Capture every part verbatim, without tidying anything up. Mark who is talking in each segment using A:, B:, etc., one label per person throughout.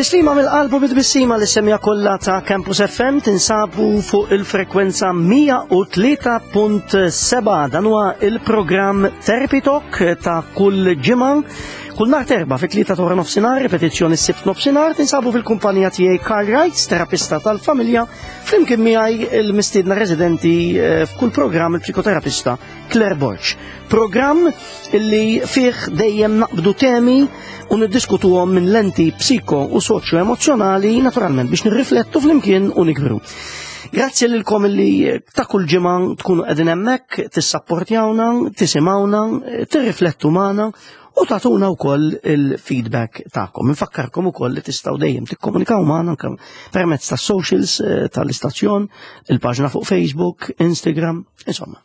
A: Tislima mill-qalbu bit-tbissima li semja kollha ta' Campus F M, tinsabu fuq il-frekwenza mija u tlieta punt sebgħa. Dan huwa il-programm Therapy Talk ta' kull ġimgħa. Kull nhar t'Erbgħa fit-tlieta ta' nofsinhar, ripetizzjoni s-Sibt nofsinhar, tinsabu fil-kumpanija tiegħi Karl Wrights, terapista tal-familja, flimkien miegħi il-mistiedna residenti eh, f'kull programm, il-psikoterapista Claire Borg. Programm illi fih dejjem naqbdu temi u niddiskutuhom minn lenti psiko u soċjo emozjonali, naturalment biex nirriflettu flimkien u nikbru. Grazzi lilkom illi ta' kull ġimgħa tkunu qegħdin hemmhekk tissapportjawna, tisimgħuna, tirriflettu magħna u tagħtuna wkoll il-feedback tagħkom. Infakkarkom ukoll li tistgħu dejjem tikkomunikaw magħna anke permezz tas socials eh, tal-istazzjon, il-paġna fuq Facebook, Instagram, insomma.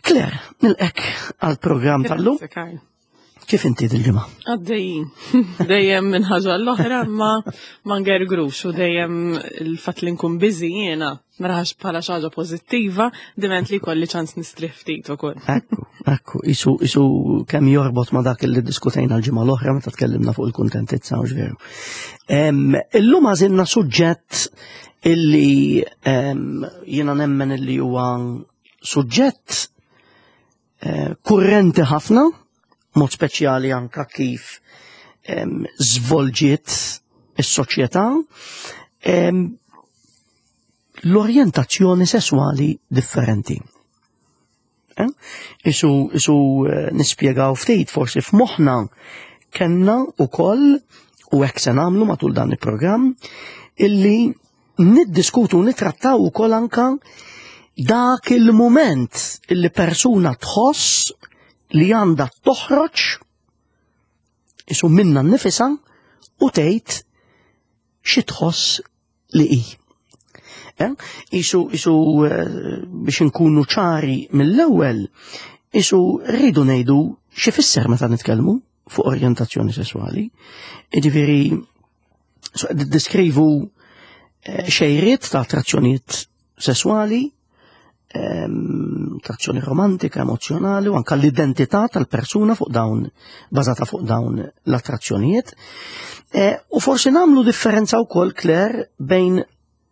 A: Claire, nilqgħek għal-programm tal-lum.
B: Grazzi, Karl.
A: Kif inti dil-ġimgħa?
B: Għaddejjin. Dejjem minn ħaġa l-oħra, ma ma ngergrux u dejjem il-fatt li nkun busy jiena naraha bħala xi ħaġa pożittiva, diment li kolli ċans nistrieħ ftit ukoll.
A: Ekku, ekku, isu, isu kemm jorbot ma dak li diskutejna l-ġimgħa l-oħra meta tkellimna fuq il-kuntentizza, u veru. Em, Illum għażilna suġġett illi em, jiena nemmen illi huwa suġġett eh, kurrenti ħafna, mod speċjali anka kif em, żvolġiet is-soċjetà, em, l-orjentazzjoni sessuali differenti. Eh? Isu, isu eh, nispjegaw ftit, forsi f'moħħna kellna ukoll, u hekk se nagħmlu matul dan il-programm, illi niddiskutu u nitrattaw ukoll anka dak il-moment illi persuna tħoss li għandha toħroġ isu minna nnifisha u tgħid xi tħoss li hi. Eh? Isu, isu eh, biex nkunu ċari mill-ewwel, isu rridu ngħidu xi fisser meta nitkellmu fuq orjentazzjoni sessuali. Jiġifieri so, deskrivu eh, xejriet ta' attrazzjonijiet sessuali, ehm, attrazzjoni romantika, emozjonali u anka l-identità tal-persuna fuq dawn, bażata fuq dawn l-attrazzjonijiet. Eh, u forsi nagħmlu differenza wkoll, Claire, bejn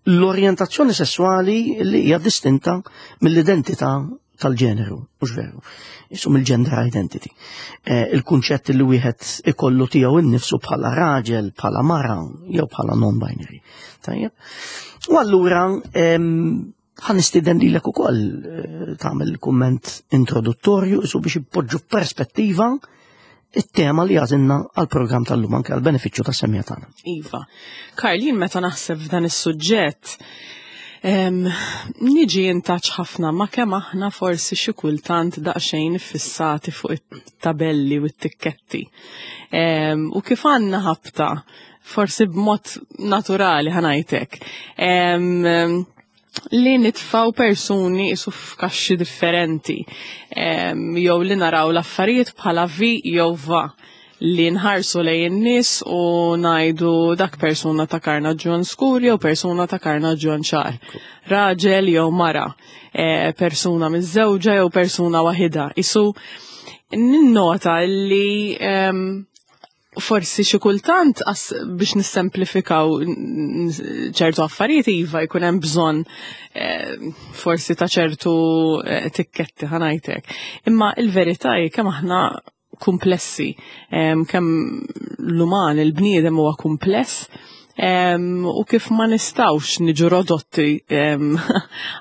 A: l-orjentazzjoni sessuali li hija distinta mill-identità tal-ġeneru, mhux veru, isu mill-gender identity. Eh, il-kunċett li wieħed ikollu tiegħu innifsu bħala raġel, bħala mara, jew bħala non-binary. Tajjeb. U allura em, ħa nistieden lilek ukoll eh, tagħmel kumment introduttorju isu biex ipoġġu perspettiva it-tema li għażilna għal-programm tal-lum, anke għal-benefiċċju tas-semmiegħa tagħna.
B: Iva. Karl, jien meta naħseb f'dan is-suġġett, em, niġi in touch ħafna ma' kemm aħna forsi xi kultant daqsxejn fissati fuq it-tabelli u t-tikketti. Em, U kif għandna ħabta, forsi b'mod naturali ħa ngħidlek, Em, li nitfaw persuni isu f'kaxxi differenti, em, jew li naraw l-affarijiet bħala vi jew va, li nħarsu lejn in-nies u ngħidu dak persuna ta' karnaġġjon skur jew persuna ta' karnaġġjon ċar. Raġel jew mara, eh, persuna miżżewġa jew persuna waħida. Isu ninnota li em, forsi xi kultant as biex nissemplifikaw n- n- ċertu affarijiet, iva, jkun hemm bżonn eh, forsi ta' ċertu eh, tikketti, ħa ngħidlek. Imma il-verità hi kemm aħna komplessi, em, kemm l-uman, il-bniedem huwa kumpless, em, u kif ma nistawx niġu rodotti em,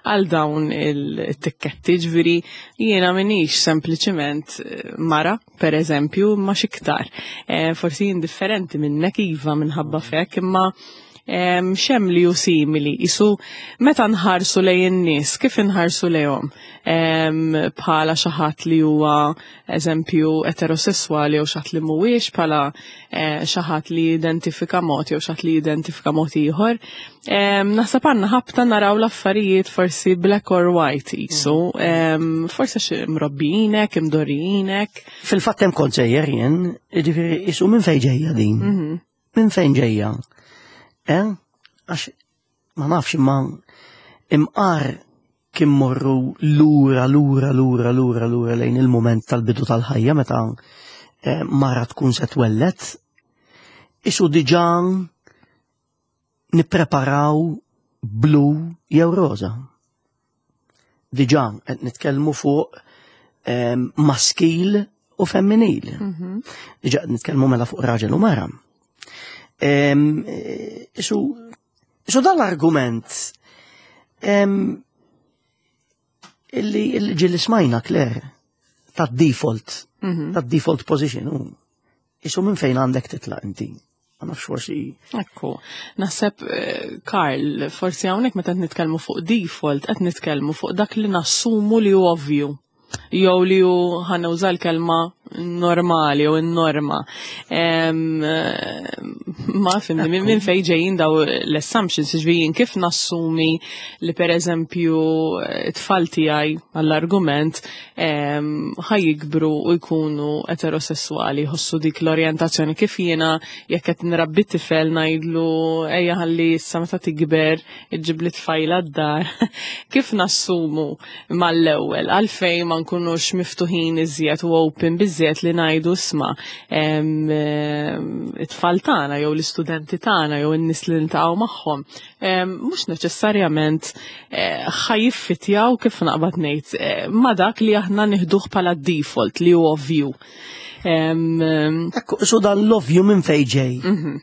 B: għal dawn il-tikketti. Ġifieri jiena minix sempliċiment eh, mara, per eżempju, ma xiktar. Eh, forsi jien differenti minnek, iva, minħabba fek, imma em, xem li ju simili. Isu meta nħarsu lejn in-nies, kif inħarsu lejhom? Em, bħala xi ħadd li huwa, eżempju, eterosessuali jew xi ħadd li mhuwiex, bħala eh, xi ħadd li jidentifika mod jew xi ħadd li jidentifika mod ieħor. Em, Naħseb għandna ħabta naraw l-affarijiet forsi black or white isu. Em, Forsi xi mrobbijinek, imdorrijinek.
A: Fil-fatt hemm kont sejjer jien, jiġifieri isu minn fejn ġejja din?
B: Mhm.
A: Minn fejn ġejja? Eh? Għax ma nafx, imma imqar kien morru lura, lura, lura, lura, lura lejn il-moment tal-bidu tal-ħajja meta eh, mara tkun se twellet, isu diġà Nippreparaw blu jew roża. Diġà qed nitkellmu fuq em, maskil u femminil.
B: Mhm.
A: Diġà qed nitkellmu mela fuq raġel u mara. Em, eh, Isu, isu dan l-argument em, illi illi ġieli smajna, Claire, ta' default,
B: Mhm.
A: ta' default position. u Isu minn fejn għandek titlaq inti? Ma nafx forsi.
B: Ekku, naħseb, eh, Karl, forsi hawnhekk meta qed nitkellmu fuq default, qed nitkellmu fuq dak li nassumu li hu ovvju. Jew li hu, ħa nuża l-kelma, normali jew in-norma. Em, eh, Ma fimni, minn min fejn ġejjin daw l-assumptions, ġvijin kif nassumi li, per eżempju, eh, it-tfal tiegħi, għall-argument, em, ħa jikbru u jkunu eterosessuali, jħossu dik l-orjentazzjoni, kif jiena jekk qed nrabbi tifel ngħidlu ejja ħalli issa meta tikber iġġib li tfajla d-dar. Kif nassumu mal-ewwel, għalfejn ma nkunux miftuħin iżjed u open biżjed li ngħidu, isma', em, em, it-tfal tagħna jew l-istudenti tagħna jew in-nies li niltaqgħu magħhom em, mhux neċessarjament eh, ħa jiffitjaw, kif naqbad ngħid, eh, ma dak li aħna nieħduh bħala default li hu ovvju. Em, em,
A: Ekku, isu dan l-ovvju minn fejn ġej?
B: mhm.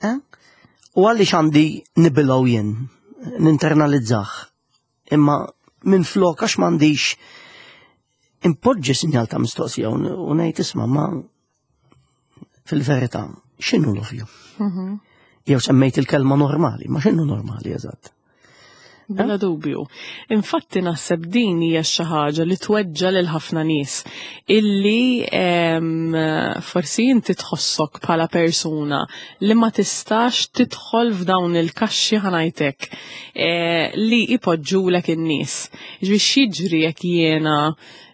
A: Eh? U għaliex għandi nibilgħu jien, ninternalizzah? Imma minn flok għax m'għandix impoġġi sinjal ta' mistoqsija u u ngħid, isma', ma fil-verità, x'inhu l-ovvju?
B: Mhm.
A: Jew semmejt il-kelma normali, ma x'inhu normali eżatt?
B: Bla dubju. Infatti naħseb din hija xi ħaġa li tweġġa lil ħafna nies illi em, forsi inti tħossok bħala persuna li ma tistax tidħol f'dawn il-kaxxi, ħa ngħidlek, eh, li ipoġġulek in-nies. Ġifieri x'jiġri jekk jiena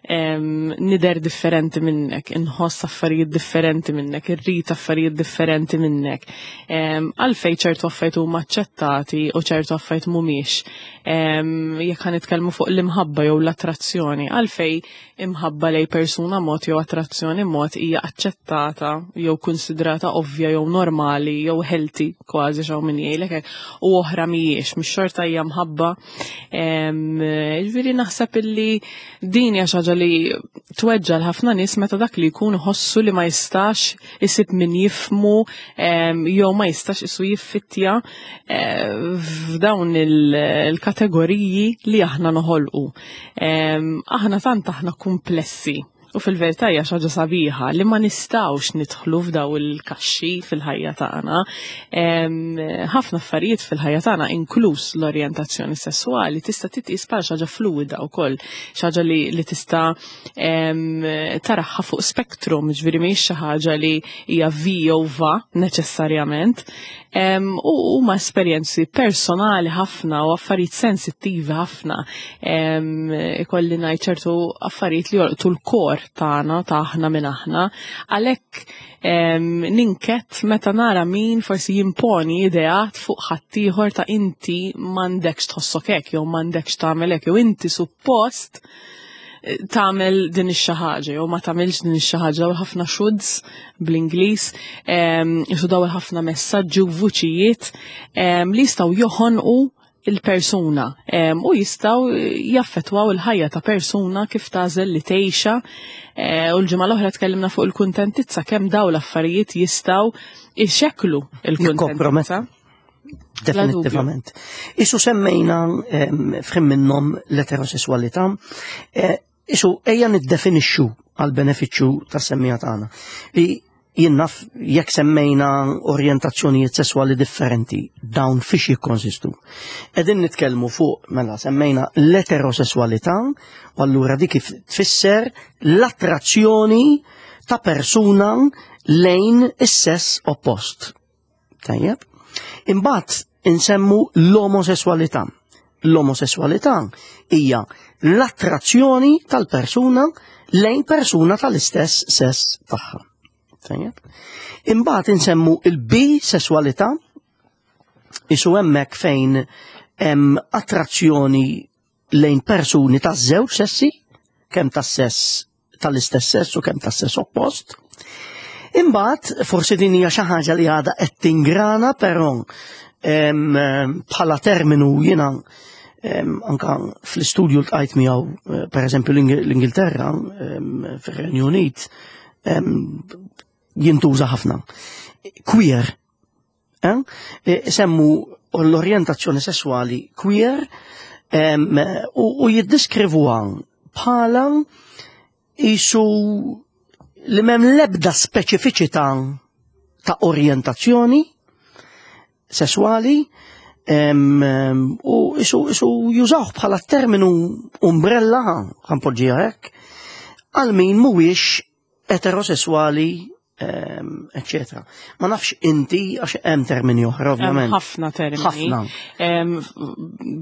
B: em, nidher differenti minnek, inħoss affarijiet differenti minnek, irrid affarijiet differenti minnek? Em, Għalfejn ċertu affarijiet huma aċċettati u ċertu affarijiet mhumiex? Em, Jekk ħa nitkellmu fuq l-imħabba jew l-attrazzjoni, għalfejn imħabba lej persuna mod jew attrazzjoni mod hija aċċettata jew konsidrata ovvja jew normali jew healthy kważi, xaw min jgħidlek hekk, u oħra mhijiex, mhix xorta hija mħabba? Em, Ġifieri naħseb illi din hija xi ħaġa li tweġġa l-ħafna nies meta dak li jkun ħossu li ma jistax isib min jifhmu em, jew ma jistax isu jiffittja eh, f'dawn il- il-kategoriji li aħna noħolqu. Em, Aħna tant aħna komplessi. U fil-verità hija xi ħaġa sabiħa li ma nistgħux nidħlu f'daw il-kaxxi fil-ħajja tagħna. Em, Ħafna affarijiet fil-ħajja tagħna, inkluż l-orjentazzjoni sessuali, tista' titqis bħala xi ħaġa fluida wkoll, xi ħaġa li, li tista' em, taraha fuq spektrum, ġifieri mhijiex xi ħaġa li hija vi jew va neċessarjament. Em, U huma esperjenzi personali ħafna u affarijiet sensittivi ħafna. Em, Ikolli ngħid ċertu affarijiet li jolqtu l-core tagħna, ta' aħna minn aħna. Għalhekk em, ninket meta nara min forsi jimponi ideat fuq ħaddieħor ta' inti m'għandekx tħossok hekk jew m'għandekx tagħmel hekk jew inti suppost eh, tagħmel din ix-xi ħaġa jew ma tagħmilx din ix-xi ħaġa. Daw ħafna shoulds bl-Ingliż, em, jisu daw ħafna messaġġi u vuċijiet em, li jistgħu joħonqu il-persuna em, u jistgħu jaffetwaw il-ħajja ta' persuna kif tagħżel li tgħixha eh, u l-ġimgħa l-oħra tkellimna fuq il-kuntentizza, kemm daw l-affarijiet jistgħu ixekklu il-kuntentizza.
A: Definitivament. Isu semmejna em, f'ħin minnhom l-eterosessualità, eh, isu ejja niddefinixxu għal benefiċċju tas-semmiegħa tagħna. Li jien naf jekk semmejna orjentazzjonijiet sessuali differenti, dawn fiex jikkonsistu? Qegħdin nitkellmu fuq, mela, semmejna l-eterosessualità, u allura dik kif tfisser l-attrazzjoni ta' persuna lejn is-sess oppost. Tajjeb? Imbagħad insemmu l-omosessualità. L-omosessualità hija l-attrazzjoni tal-persuna lejn persuna tal-istess sess tagħha. Tajjeb? Imbagħad insemmu il-bisessualità, isu hemmhekk fejn hemm attrazzjoni lejn persuni taż-żewġ sessi, kemm tas-sess tal-istess sess u kemm tas-sess oppost. Imbagħad forsi din hija xi ħaġa li għadha qed tingrana, però bħala terminu jiena anka fl-istudju ltqajt miegħu, eh, per eżempju l-Ingilterra, fir-Renju Unit, jintuża ħafna. Queer. Eh? E, semmu l-orjentazzjoni sessuali queer u jiddiskrivuha bħala isu li m'hemm l-ebda speċifiċità ta' orjentazzjoni sessuali u isu, isu jużawh bħala terminu umbrella, ħa npoġġiha hekk, għal min mhuwiex eterosessuali, eccetera. Ma nafx inti, għax hemm termini oħra, ovvjament.
B: Ħafna termini.
A: Ħafna.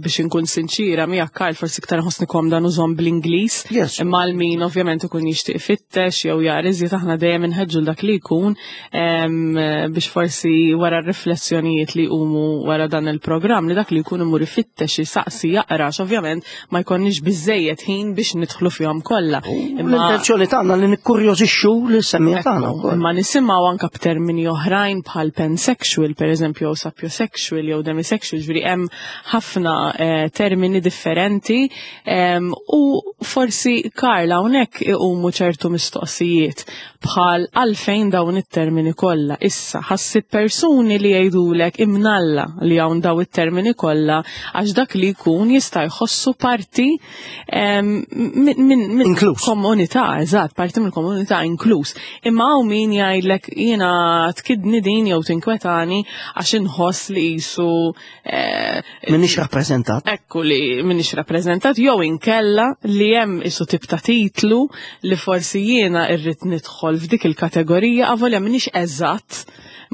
B: Biex inkun sinċira, miegħek Karl, forsi iktar nħossni komda nużahom bl-Ingliż.
A: Yes.
B: Imma għal min ovvjament ikun jixtieq ifittex jew jara iżjed, aħna dejjem inħeġġu dak li jkun biex forsi wara r-riflessjonijiet li jqumu wara dan il-programm li dak li jkun imur ifittex, jisaqsi, jaqra, ovvjament ma jkollniex biżejjed ħin biex nidħlu fihom kollha.
A: L-intenzjoni tagħna li nikkurjożixxu lis-semmiegħa tagħna wkoll.
B: Imma nisimgħu anka b'termini oħrajn bħal pansexual, per eżempju, jew sapiosexual, jew demisexual, ġifieri hemm ħafna eh, termini differenti em, u forsi, Karla, hawnhekk iqumu ċertu mistoqsijiet bħal għalfejn dawn it-termini kollha. Issa ħassib persuni li jgħidulek imnalla li hawn daw it-termini kollha għax dak li jkun jista' jħossu parti em, minn min, min
A: Inkluż.
B: komunità, eżatt, parti mill-komunità, inkluż. Imma hawn min jgħidlek jiena tkidni din jew tinkwetani għax inħoss li jisu eh,
A: Minix rappreżentat.
B: Ekku, li minix rappreżentat jew inkella li hemm isu tip ta' titlu li forsi jiena irrid nidħol f'dik il-kategorija avolja minix eżatt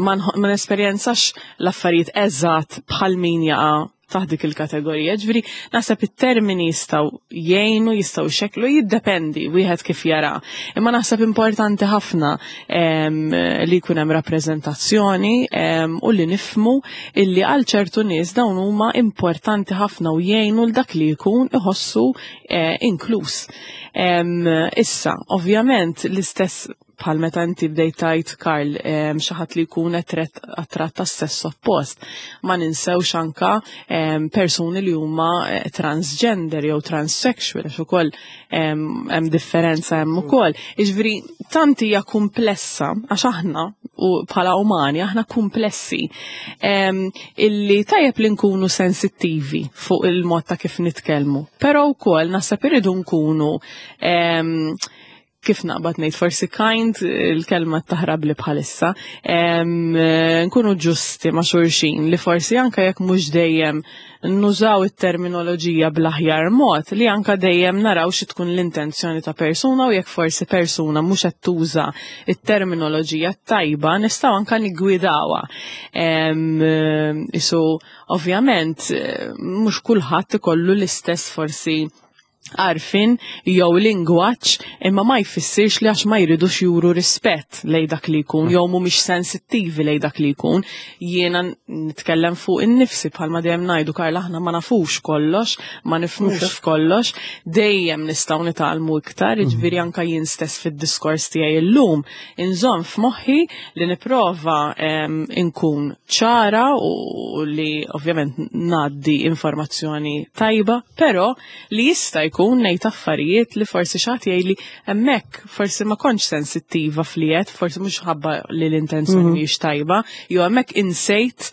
B: ma nħo- ma nesperjenzax l-affarijiet eżatt bħal min jaqa' taħt dik il-kategorija. Ġifieri naħseb it-termini jistgħu jgħinu, jistgħu xeklu, jiddependi wieħed kif jara. Imma naħseb importanti ħafna em, li jkun hemm rappreżentazzjoni em, u li nifmu illi għal ċertu nies dawn huma importanti ħafna u jgħinu l dak li jkun iħossu eh, inkluż. Em, issa, ovvjament, l-istess bħal meta inti bdejt tajt, Karl, em, xi ħadd li jkun attratt tas-sess oppost. Ma ninsewx anka em, persuni li huma eh, transgender jew transsexual, għax ukoll em, hemm differenza hemm ukoll. Jiġifieri tant hija komplessa għax aħna u bħala umani aħna komplessi em, illi tajjeb li nkunu sensittivi fuq il-mod ta' kif nitkellmu. Però wkoll naħseb irridu nkunu em, kif naqbad ngħid, forsi kind il-kelma taħrab li bħalissa, em, nkunu ġusti ma' xulxin li forsi anka jekk mhux dejjem nużaw it-terminoloġija bl-aħjar mod, li anka dejjem naraw xi tkun l-intenzjoni ta' persuna u jekk forsi persuna mhux qed tuża it-terminoloġija tajba nistgħu anka niggwidawha. Em, Isu ovvjament eh, mhux kulħadd ikollu l-istess forsi għarfien jew lingwaġġ, imma ma jfissirx li għax ma jridux juru rispett lej dak li jkun jew mhumiex sensittivi lej dak li jkun. Jiena nitkellem fuq innifsi, bħalma dejjem ngħidu, Karla, aħna ma nafux kollox, ma nifhmux f'kollox, dejjem nistgħu nitgħallmu iktar, jiġifieri anka jien stess fid-diskors tiegħi illum inżomm f'moħħi li nipprova em, inkun ċara u li ovvjament ngħaddi informazzjoni tajba, però li jista' jkun ngħid affarijiet li forsi xi ħadd jgħidli hemmhekk forsi ma kontx sensittiva fliet, forsi mhux ħabba li l-intenzjoni mhijiex tajba, jew hemmhekk insejt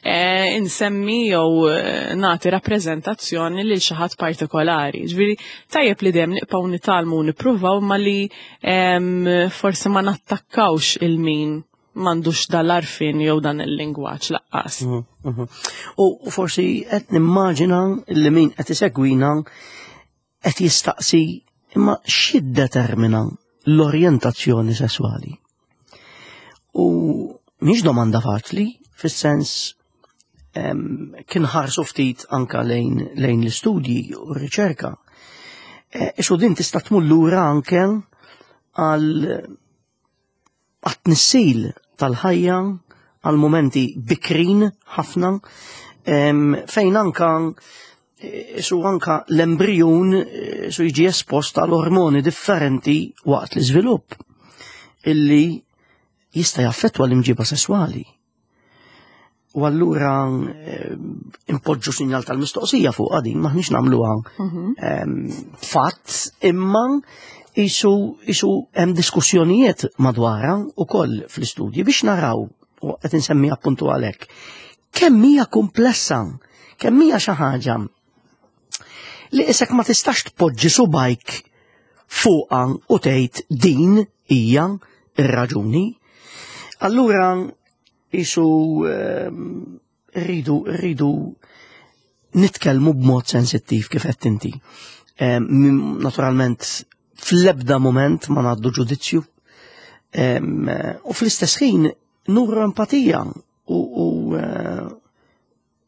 B: eh, insemmi jew eh, nagħti rappreżentazzjoni lil xi ħadd partikolari. Ġifieri tajjeb li dejjem nibqgħu nitgħallmu u nippruvaw ma li em, forsi ma nattakkawx il-min m'għandux dal-għarfien jew dan il-lingwaġġ laqqas.
A: Mhm, mhm. U forsi qed nimmaġina li min qed isegwina qed jistaqsi imma x'jiddetermina l-orjentazzjoni sesswali? U mhix domanda faċli, fis-sens em, kien ħarsu ftit anka lejn, lejn l-istudji u r-riċerka. E, Isu din tista' tmur lura anke għal għat-tnissil tal-ħajja, għal momenti bikrin ħafna, em, fejn anka eh, su anka l-embrjun eh, su jiġi espost għal ormoni differenti waqt l-iżvilupp illi jista' jaffettwa l-imġiba sesswali. U allura eh, impoġġu sinjal tal-mistoqsija fuq din, maħniex nagħmluha ehm, fatt, imma isu isu hemm diskussjonijiet madwarha ukoll fl-istudji biex naraw, u qed insemmi appuntu għalhekk, kemm hija komplessa, kemm hija xi ħaġa li isek ma tistax tpoġġi subajk fuqha u tgħid din hija ir-raġuni. Allura isu ehm, rridu rridu nitkellmu b'mod sensittiv kif qed inti. Ehm, Naturalment fl-ebda moment ma ngħaddu ġudizzju. Ehm, U fl-istess ħin nuru empatija u, u eh,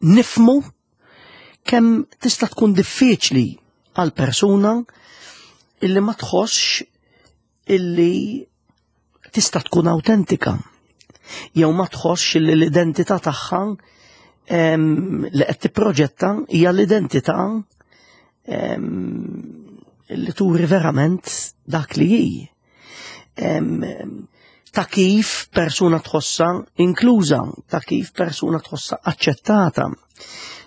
A: nifmu kemm tista' tkun diffiċli għal persuna illi ma tħossx illi tista' tkun autentika jew ma tħossx illi l-identità tagħha em, li qed tipproġetta hija l-identità em, li turi verament dak li hi. Em, ta' kif persuna tħossa inkluża, ta' kif persuna tħossa aċċettata,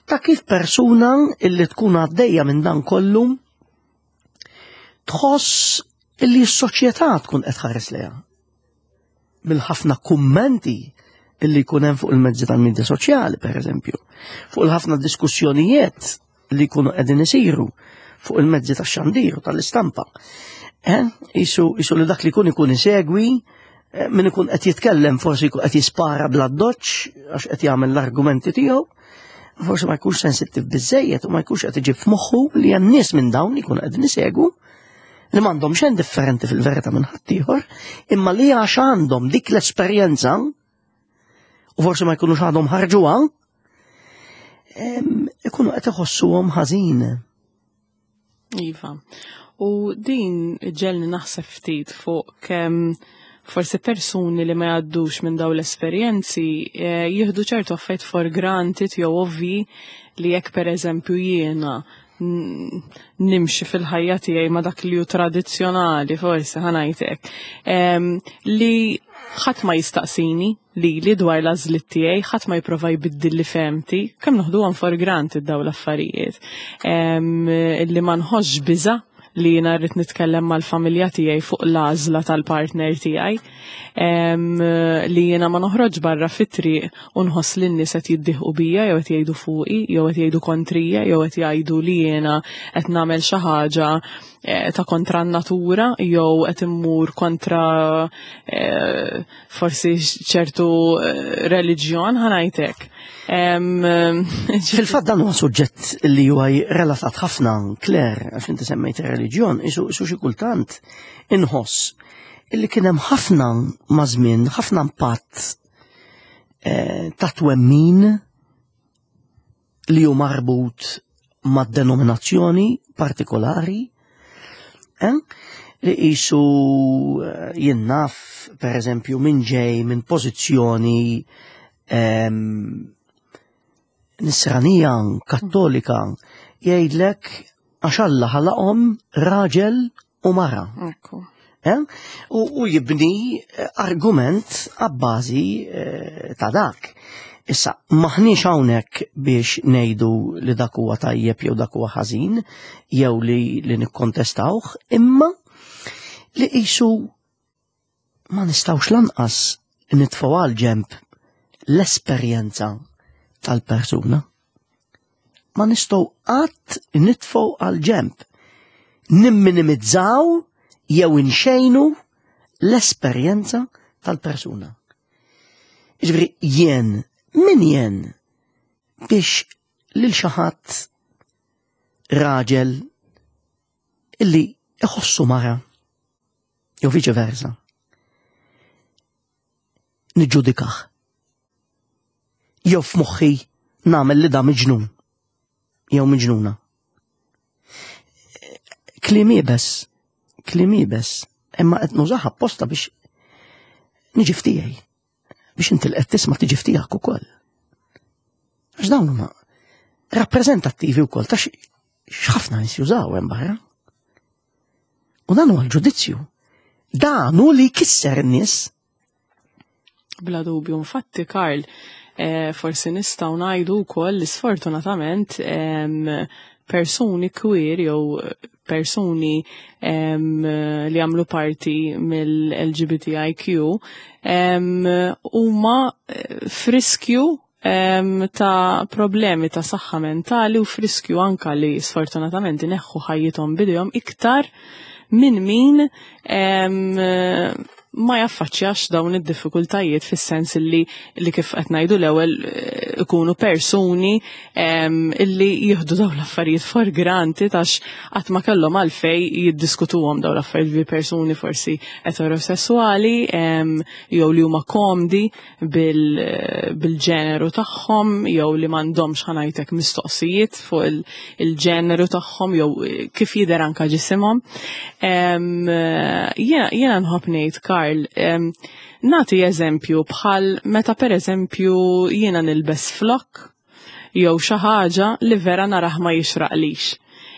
A: ta' kif persuna illi tkun għaddejja minn dan kollu tħoss illi s-soċjetà tkun qed tħares lejha. Mill-ħafna kummenti illi jkun hemm fuq il-mezzi tal-medja soċjali, per eżempju, fuq il-ħafna diskussjonijiet li jkunu qegħdin isiru fuq il-mezzi tax-xandir u tal-istampa. Eh? Isu, isu li dak li jkun ikun isegwi, eh, min ikun qed jitkellem forsi jkun qed jispara bla doċ għax qed jagħmel l-argumenti tiegħu, forsi ma jkunx sensittiv biżejjed u ma jkunx qed iġib f'moħħu li hemm nies minn dawn li jkunu qegħdin isegwu li m'għandhom xejn differenti fil-verità minn ħaddieħor, imma li għax għandhom dik l-esperjenza u forsi ma jkunux għadhom ħarġuha, em, ikunu qed iħossuhom ħażin.
B: Iva. U din ġelni naħseb ftit fuq kemm forsi persuni li ma jgħaddux minn daw l-esperjenzi eh, jieħdu ċertu affarijiet for granted jew ovvi li jekk per eżempju jiena n- nimxi fil-ħajja tiegħi ma dak li hu tradizzjonali forsi ħa ngħidlek em, li ħadd ma jistaqsini li li dwar l-għażliet tiegħi, ħadd ma jipprova jbiddil li fehmti, kemm noħduhom for granted daw l-affarijiet. Em, Li ma nħossx biża' li jiena rrid nitkellem mal-familja tiegħi fuq l-għażla tal-partner tiegħi. Em, li jiena ma noħroġ barra fit-triq u nħoss li n-nies qed jiddieħqu bija jew qed jgħidu fuqi jew qed jgħidu kontrija jew qed jgħidu li jiena qed nagħmel xi ħaġa eh, ta' kontra n-natura jew qed immur kontra eh, forsi ċertu eh, reliġjon ħa ngħidlek. Em,
A: Fil-fatt dan huwa suġġett li huwa relatat ħafna, Claire, għax inti semmejt ir-reliġjon, isu isu xi kultant inħoss illi kien hemm ħafna maż-żmien, ħafna impatt eh, ta' twemmin li hu marbut ma' denominazzjoni partikolari, eh? Li qisu eh, jien naf, per eżempju, minn ġej minn pożizzjoni em, nisranija, kattolika, jgħidlek għax Alla ħalaqhom raġel u mara.
B: Ekku.
A: Eh? U, u jibni eh, argument għabbażi eh, ta' dak. Issa, maħniex hawnhekk biex ngħidu li dak huwa tajjeb jew dak huwa ħażin, jew li, li nikkontestawh, imma li qisu ma nistgħux lanqas nitfgħu għal ġemp l-esperjenza tal-persuna. Ma nistgħu qatt nitfgħu għal ġemp. Nimminimizzaw jew inxejnu l-esperjenza tal-persuna. Ġifieri jien, min jien biex lil xi ħadd raġel illi iħossu mara jew viċe versa. Niġġudikah. Jew f'moħħi nagħmel li da miġnun jew miġnuna. Kliem iebes, kliem iebes, imma qed nużaha apposta biex niġi f'tiegħi, biex inti li qed tisma' tiġi f'tiegħek ukoll. Għax dawn huma rappreżentattivi wkoll ta' x'ħafna nies jużaw hemm barra. U dan huwa l-ġudizzju. Dan hu li jkisser in-nies.
B: Bla dubju, infatti, Karl, eh, forsi nistgħu ngħidu wkoll li sfortunatament em, persuni queer jew persuni em, li għamlu parti mill-L G B T I Q em, huma eh, f'riskju em, ta' problemi ta' saħħa mentali u f'riskju anka li sfortunatament ineħħu ħajjithom b'idejhom iktar minn min em, ma jaffaċċjax dawn id-diffikultajiet, fis-sens li li kif qed ngħidu l-ewwel eh, ikunu persuni em, illi jieħdu dawn l-affarijiet for granted għax qatt ma kellhom għalfej jiddiskutuhom dawn l-affarijiet bi persuni forsi eterosessuali em, jew li huma komdi bil- bil-ġeneru tagħhom jew li m'għandhomx, ħa ngħidlek, mistoqsijiet fuq il- il-ġeneru tagħhom jew eh, kif jidher anka ġisimhom. Em, eh, Jiena jiena nħobb ngħid, Karl, em, nagħti eżempju bħal meta, per eżempju, jiena nilbes flok jew xi ħaġa li vera narah ma jixraqlix.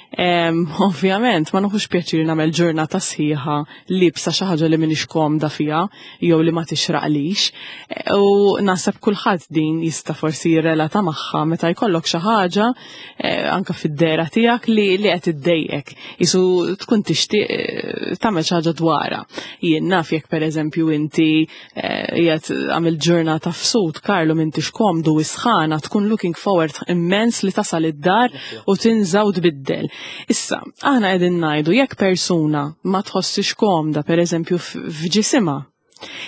B: Em, ovvjament, ma nieħux pjaċir nagħmel ġurnata sħiħa libsa xi ħaġa li m'iniex komda fiha jew li ma tixraqlix. E, U naħseb kulħadd din jista' forsi jirrelata magħha meta jkollok xi ħaġa eh, anka fid-dehra tiegħek li li qed iddejqek. Isu tkun tixtieq eh, tagħmel xi ħaġa dwarha. Jien naf jekk, pereżempju, inti eh, qiegħed għamil ġurnata f'sut, Karlu, m'intix komdu, sħana, tkun looking forward immens li tasal id-dar u tinża' u tbiddel. Issa, aħna qegħdin ngħidu jekk persuna ma tħossix komda, pereżempju, f'ġisimha,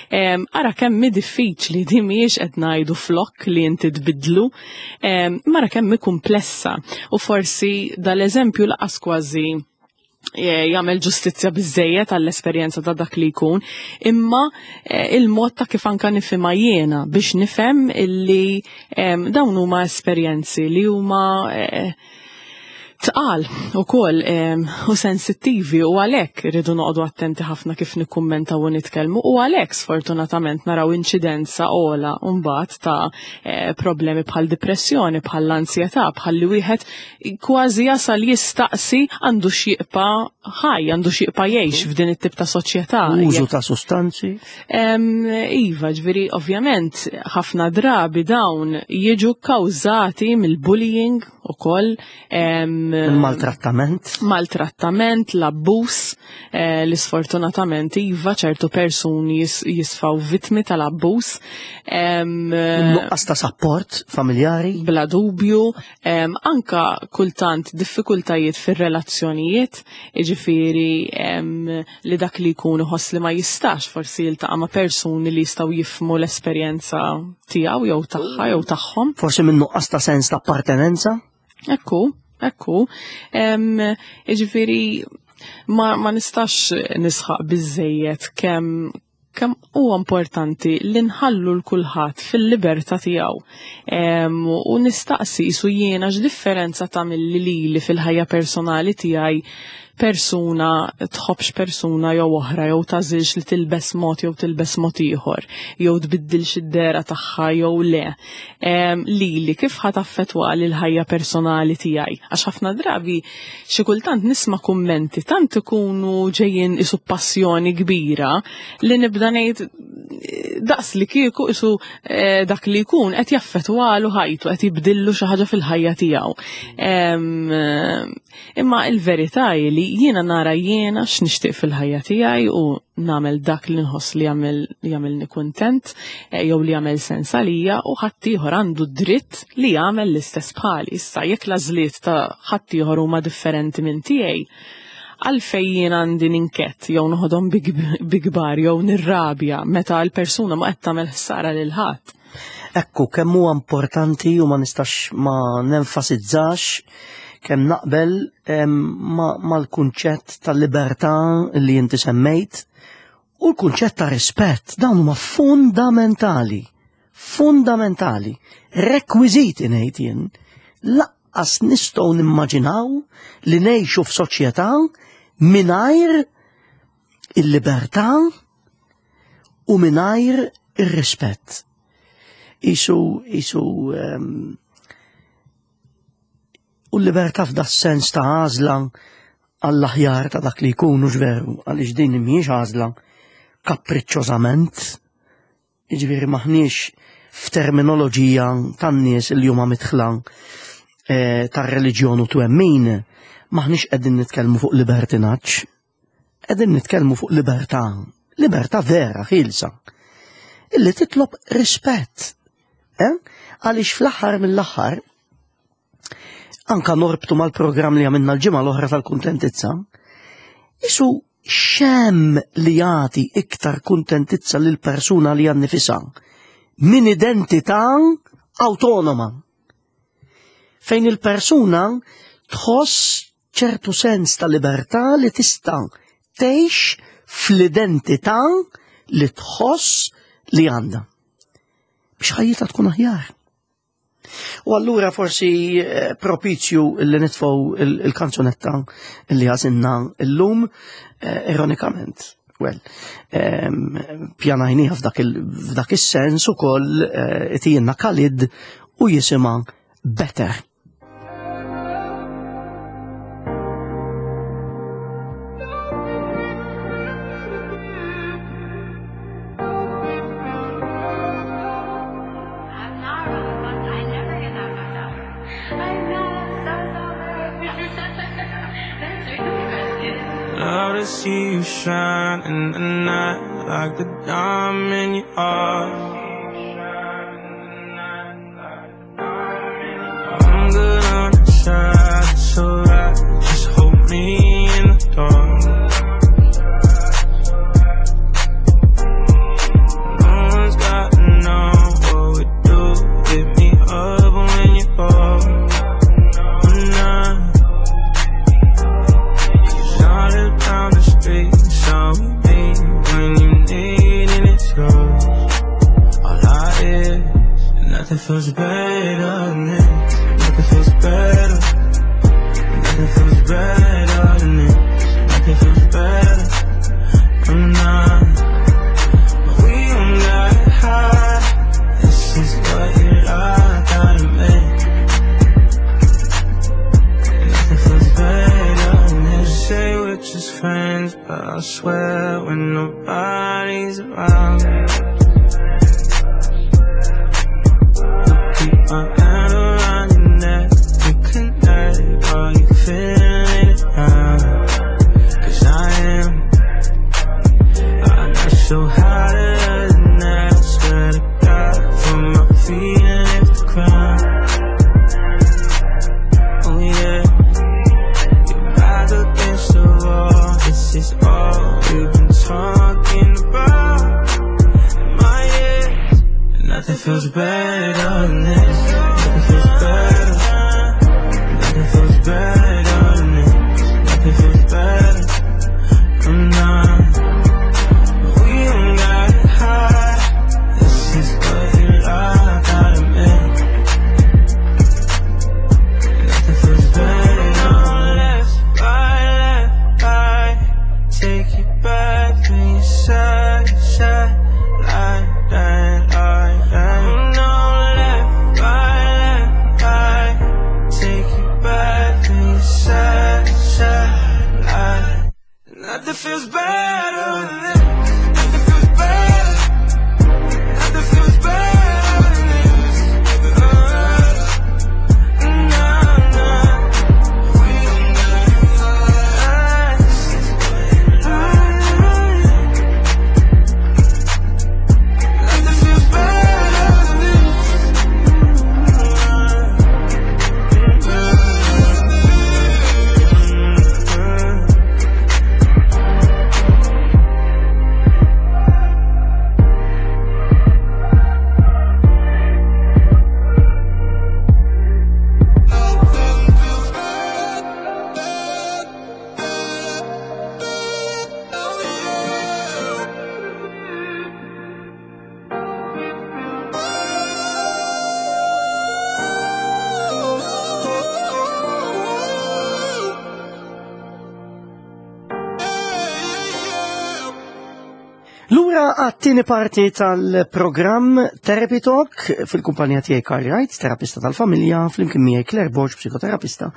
B: Em, ara kemm hi diffiċli di, mhijiex qed ngħidu flok li inti tbidlu, em, mara kemm hi komplessa u forsi dal-eżempju lanqas kważi eh, jagħmel ġustizzja biżejjed għall-esperjenza ta' dak li jkun, imma eh, il-mod ta' kif anka nifhimha jiena biex nifhem illi em, dawn huma esperjenzi li huma eh, tqal ukoll u sensittivi u għalhekk irridu noqogħdu attenti ħafna kif nikkummentaw u nitkellmu u għalhekk sfortunatament naraw inċidenza ogħla mbagħad ta' eh, problemi bħal depressjoni, bħal ansjetà, bħal li wieħed kważi jasal jistaqsi għandu x'jibqa' ħaj, għandu x'jibqa' jgħix f'din it-tip ta' soċjetà.
A: Użu ta' sustanzi.
B: Em, Iva, ġifieri, ovvjament, ħafna drabi dawn jiġu kkawżati mill-bullying ukoll.
A: Il-maltrattament.
B: Maltrattament, l-abbuż, eh, li sfortunatament iva ċertu persuni jis, jisfaw vittmi tal-abbuż. Em,
A: Nuqqas ta' support familjari.
B: Bla dubju, em, anka kultant diffikultajiet fir-relazzjonijiet, jiġifieri em, li dak li jkun iħoss li ma jistax forsi jiltaqa' ma' persuni li jistgħu jifhmu l-esperjenza tiegħu jew tagħha jew tagħhom.
A: Forsi minn nuqqas ta' sens ta' appartenenza.
B: Ekku, ekku. Em, Jiġifieri ma, ma nistax nisħaq biżejjed kemm kemm huwa importanti li nħallu l kulħadd fil-libertà tiegħu. Em, U nistaqsi isu jiena x'differenza tagħmel lili fil-ħajja personali tiegħi persuna tħobbx persuna jew oħra, jew tagħżilx li tilbes mod jew tilbes mod ieħor, jew tbiddilx id-dehra tagħha jew le. Em, Lili kif ħa taffettwa l-ħajja personali tiegħi? Għax ħafna drabi xi kultant nisma' kummenti tant ikunu ġejjin isu passjoni kbira li nibda ngħid daqs li kieku isu eh, dak li jkun qed jaffettwalu ħajtu, qed jibdillu xi ħaġa fil-ħajja tiegħu. Em, eh, Imma il-verità hi li jiena nara jiena x'nixtieq fil-ħajja tiegħi u nagħmel dak li nħoss li jagħmel jagħmilni kuntent eh, jew li jagħmel sens għalija, u ħaddieħor għandu dritt li jagħmel l-istess bħali. Issa, jekk l-għażliet ta' ħaddieħor huma differenti minn tiegħi, għalfej jien għandi ninketta jew noħodhom bi kbar jew nirrabja meta l-persuna ma qed tagħmel ħsara lil ħadd?
A: Ekku, kemm huwa importanti u ma nistax ma nenfasizzax kemm naqbel em, ma- mal-kunċett tal-libertà li inti semmejt u l-kunċett ta' rispett. Dawn huma fundamentali. Fundamentali. Rekwiżiti, ngħid jien. Lanqas nistgħu nimmaġinaw li ngħixu f'soċjetà mingħajr il-libertà u mingħajr ir-rispett. Isu, isu, um, u l-libertà f'da sens ta' għażla għall-aħjar ta' dak li jkunu, veru, għaliex din mhijiex għażla kapriċċożament, Jiġifieri maħniex f'terminoloġija tan-nies li huma midħla eh, tar-reliġjon u twemmin, maħniex qegħdin nitkellmu fuq libertinaġġ, qegħdin nitkellmu fuq libertà, libertà vera, ħielsa, illi titlob rispett. Eh? Għaliex fl-aħħar mill-aħħar, anka norbtu mal-programm li għamilna l-ġimgħa l-oħra tal-kuntentizza, isu xem li jagħti iktar kuntentizza lil persuna li għannifisha minn identità autonoma. Fejn il-persuna tħoss ċertu sens ta' libertà li tista' tgħix fl-identità li tħoss li għandha. Biex ħajjitha tkun aħjar. U allura forsi eh, propizju li nitfgħu il-kanzunetta li għażilna illum, eh, ironikament. Well, ehm, pjanajniha f'dak il- is-sens ukoll eh, itijinna Khalid u jisimha Better.
C: I'm not really fucked. I never get that fucked up. I'm not. I'm so sober. That's really good.
D: Love to see you shine in the night like the diamond you are. I'm good on the side, it's alright. Just hold me in the dark. No one's got to know what we do. Hit me up when you go. I'm not. Cause I live down the street, so we meet when you need and it's yours. All I hear, nothing feels better than this. Nothing feels better. Nothing feels better than this. Nothing feels better. I'm not. But we don't gotta hide. This is what you like out of me. Nothing feels better than this. Say we're just friends, but I swear when nobody's around. I keep my hand around your neck. We connect. Are you feeling it now? Cause I am. I got so hotter than that. I swear to God, from my feet and lift the crown. Oh yeah. You're back against the wall. This is all we've been talking about.
A: Lura għat-tieni parti tal-programm Therapy Talk fil-kumpanija tiegħi Carl Wright, terapista tal-familja, flimkien miegħi Claire Borg, psikoterapista.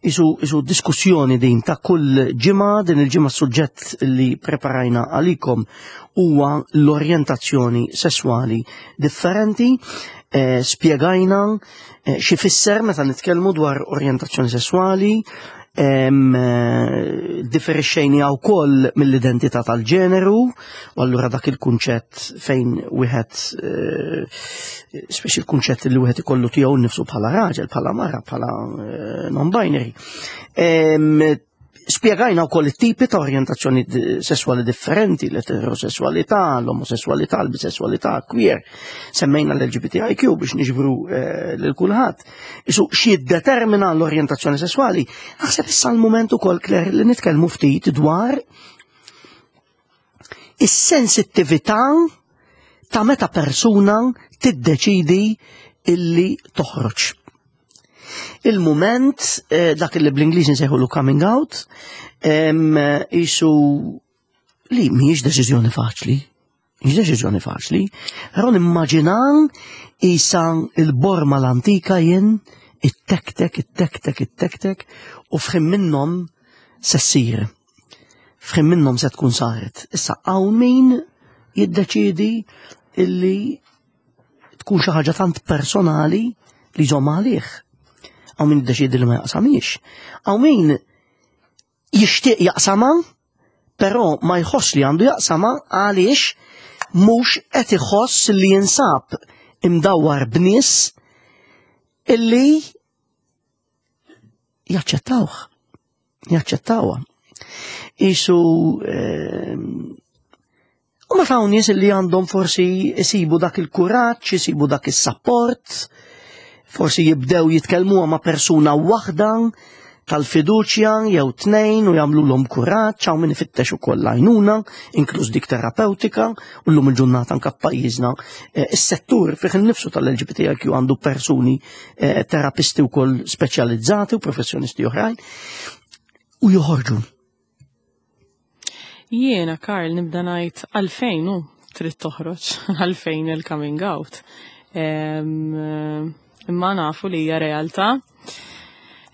A: Isu, isu diskussjoni din ta' kull ġimgħa, din il-ġimgħa suġġett li preparajna għalikom huwa l-orjentazzjoni sesswali differenti. Eh, spjegajna eh, x'ifisser meta nitkellmu dwar orjentazzjoni sesswali, em, eh, differixxejna wkoll mill-identità tal-ġeneru, u allura dak il-kunċett fejn wieħed eh, speċi il-kunċett li wieħed ikollu tiegħu nnifsu bħala raġel, bħala mara, bħala eh, non-binary. Em, Spjegajna wkoll it-tipi ta' orjentazzjoni di- sesswali differenti, l-eterosessualità, l-omosessualità, l-bisessualità, queer. Semmejna l-L G B T I Q biex niġbru eh, lil kulħadd. Isu x'jiddetermina l-orjentazzjoni sesswali? Naħseb issa l-mument ukoll, Claire, li nitkellmu ftit dwar is-sensittività ta' meta persuna tiddeċidi illi toħroġ. Il-moment, eh, dak li bl-Ingliż nsejħulu coming out, em, isu li mhijiex deċiżjoni faċli. Mhijiex deċiżjoni faċli. Però nimmaġina isa il-borma l-antika jien, it-tek-tek, it-tek-tek, it-tek-tek, u f'ħin minnhom se ssir. F'ħin minnhom se tkun saret. Issa hawn min jiddeċidi illi tkun xi ħaġa tant personali li jżomm għalih. Hawn min jiddeċidi li ma jaqsamix. Hawn min jixtieq jaqsama, però ma jħoss li għandu jaqsama għaliex mhux qed iħoss li jinsab imdawwar b'nies illi jaċċettawh. Jaċċettawha. Isu ehm, u ma hawn nies li għandhom forsi jisibu dak il-kuraġġ, jisibu dak is-sapport, forsi jibdew jitkellmu ma' persuna waħda tal-fiduċja jew tnejn u jagħmluhom kuraġġ, hawn min ifittex ukoll għajnuna, inkluż dik terapeutika, u llum il-ġurnata anke f'pajjiżna eh, is-settur fih innifsu tal-L G B T I Q għandu persuni eh, terapisti wkoll speċjalizzati u professjonisti oħrajn u joħorġu.
B: Jiena, Karl, nibda ngħid għalfejn hu trid toħroġ, għalfejn il-coming out. Em, Imma nafu li hija realtà.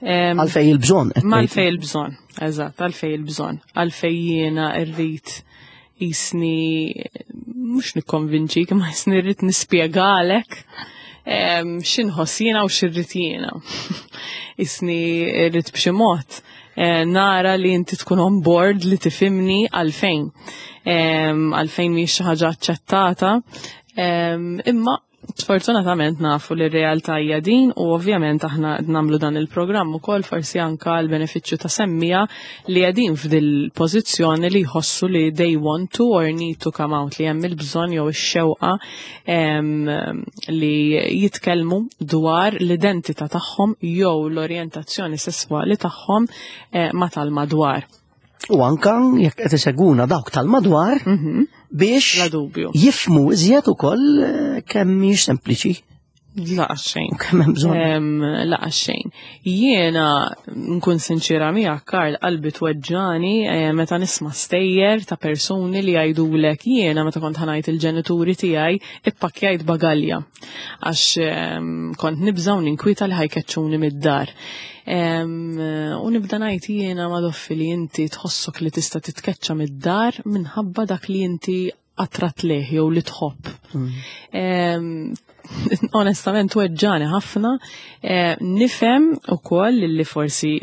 B: Em,
A: Għalfejn il-bżonn qed
B: Ma
A: ngħid.
B: għalfej il-bżonn, eżatt, għalfej il-bżonn. Għalfej jiena rrid jisni, mhux nikkonvinċik, ma jisni rrid nispjegalek em, x'inħoss jiena u x'irrid jiena. Jisni rrid b'xi mod eh, nara li inti tkun on board li tifhimni għalfejn. Em, Għalfejn mhix xi ħaġa aċċettata. Em, Imma sfortunatament nafu li r-realtà hija din u ovvjament aħna nagħmlu dan il-programm ukoll forsi anka l-benefiċċju ta' semmija li qegħdin f'dil pożizzjoni li jħossu li they want to or need to come out, li hemm il-bżonn jew ix-xewqa em, li jitkellmu dwar l-identità tagħhom jew l-orjentazzjoni sesswali tagħhom eh, ma tal-madwar.
A: U anka jekk qed iseguna dawk tal-madwar
B: Mhm.
A: biex
B: Bla dubju.
A: jifhmu iżjed ukoll eh, kemm mhix sempliċi
B: La xejn.
A: u kemm hemm bżonn.
B: Em, La xejn. Jiena nkun sinċira miegħek, Karl, qalbi tweġġani eh, meta nisma' stejjer ta' persuni li jgħidulek: "Jiena meta kont ħa ngħid il-ġenituri tiegħi ippakkjajt bagalja għax em, kont nibża' u ninkwita li ħa jkeċċuni mid-dar." Em, U nibda ngħid jiena madoffi li inti tħossok li tista' titkeċċa mid-dar minħabba dak li inti attrat leh jew li tħobb. Em, Onestament weġġani ħafna. Eh, Nifhem ukoll li forsi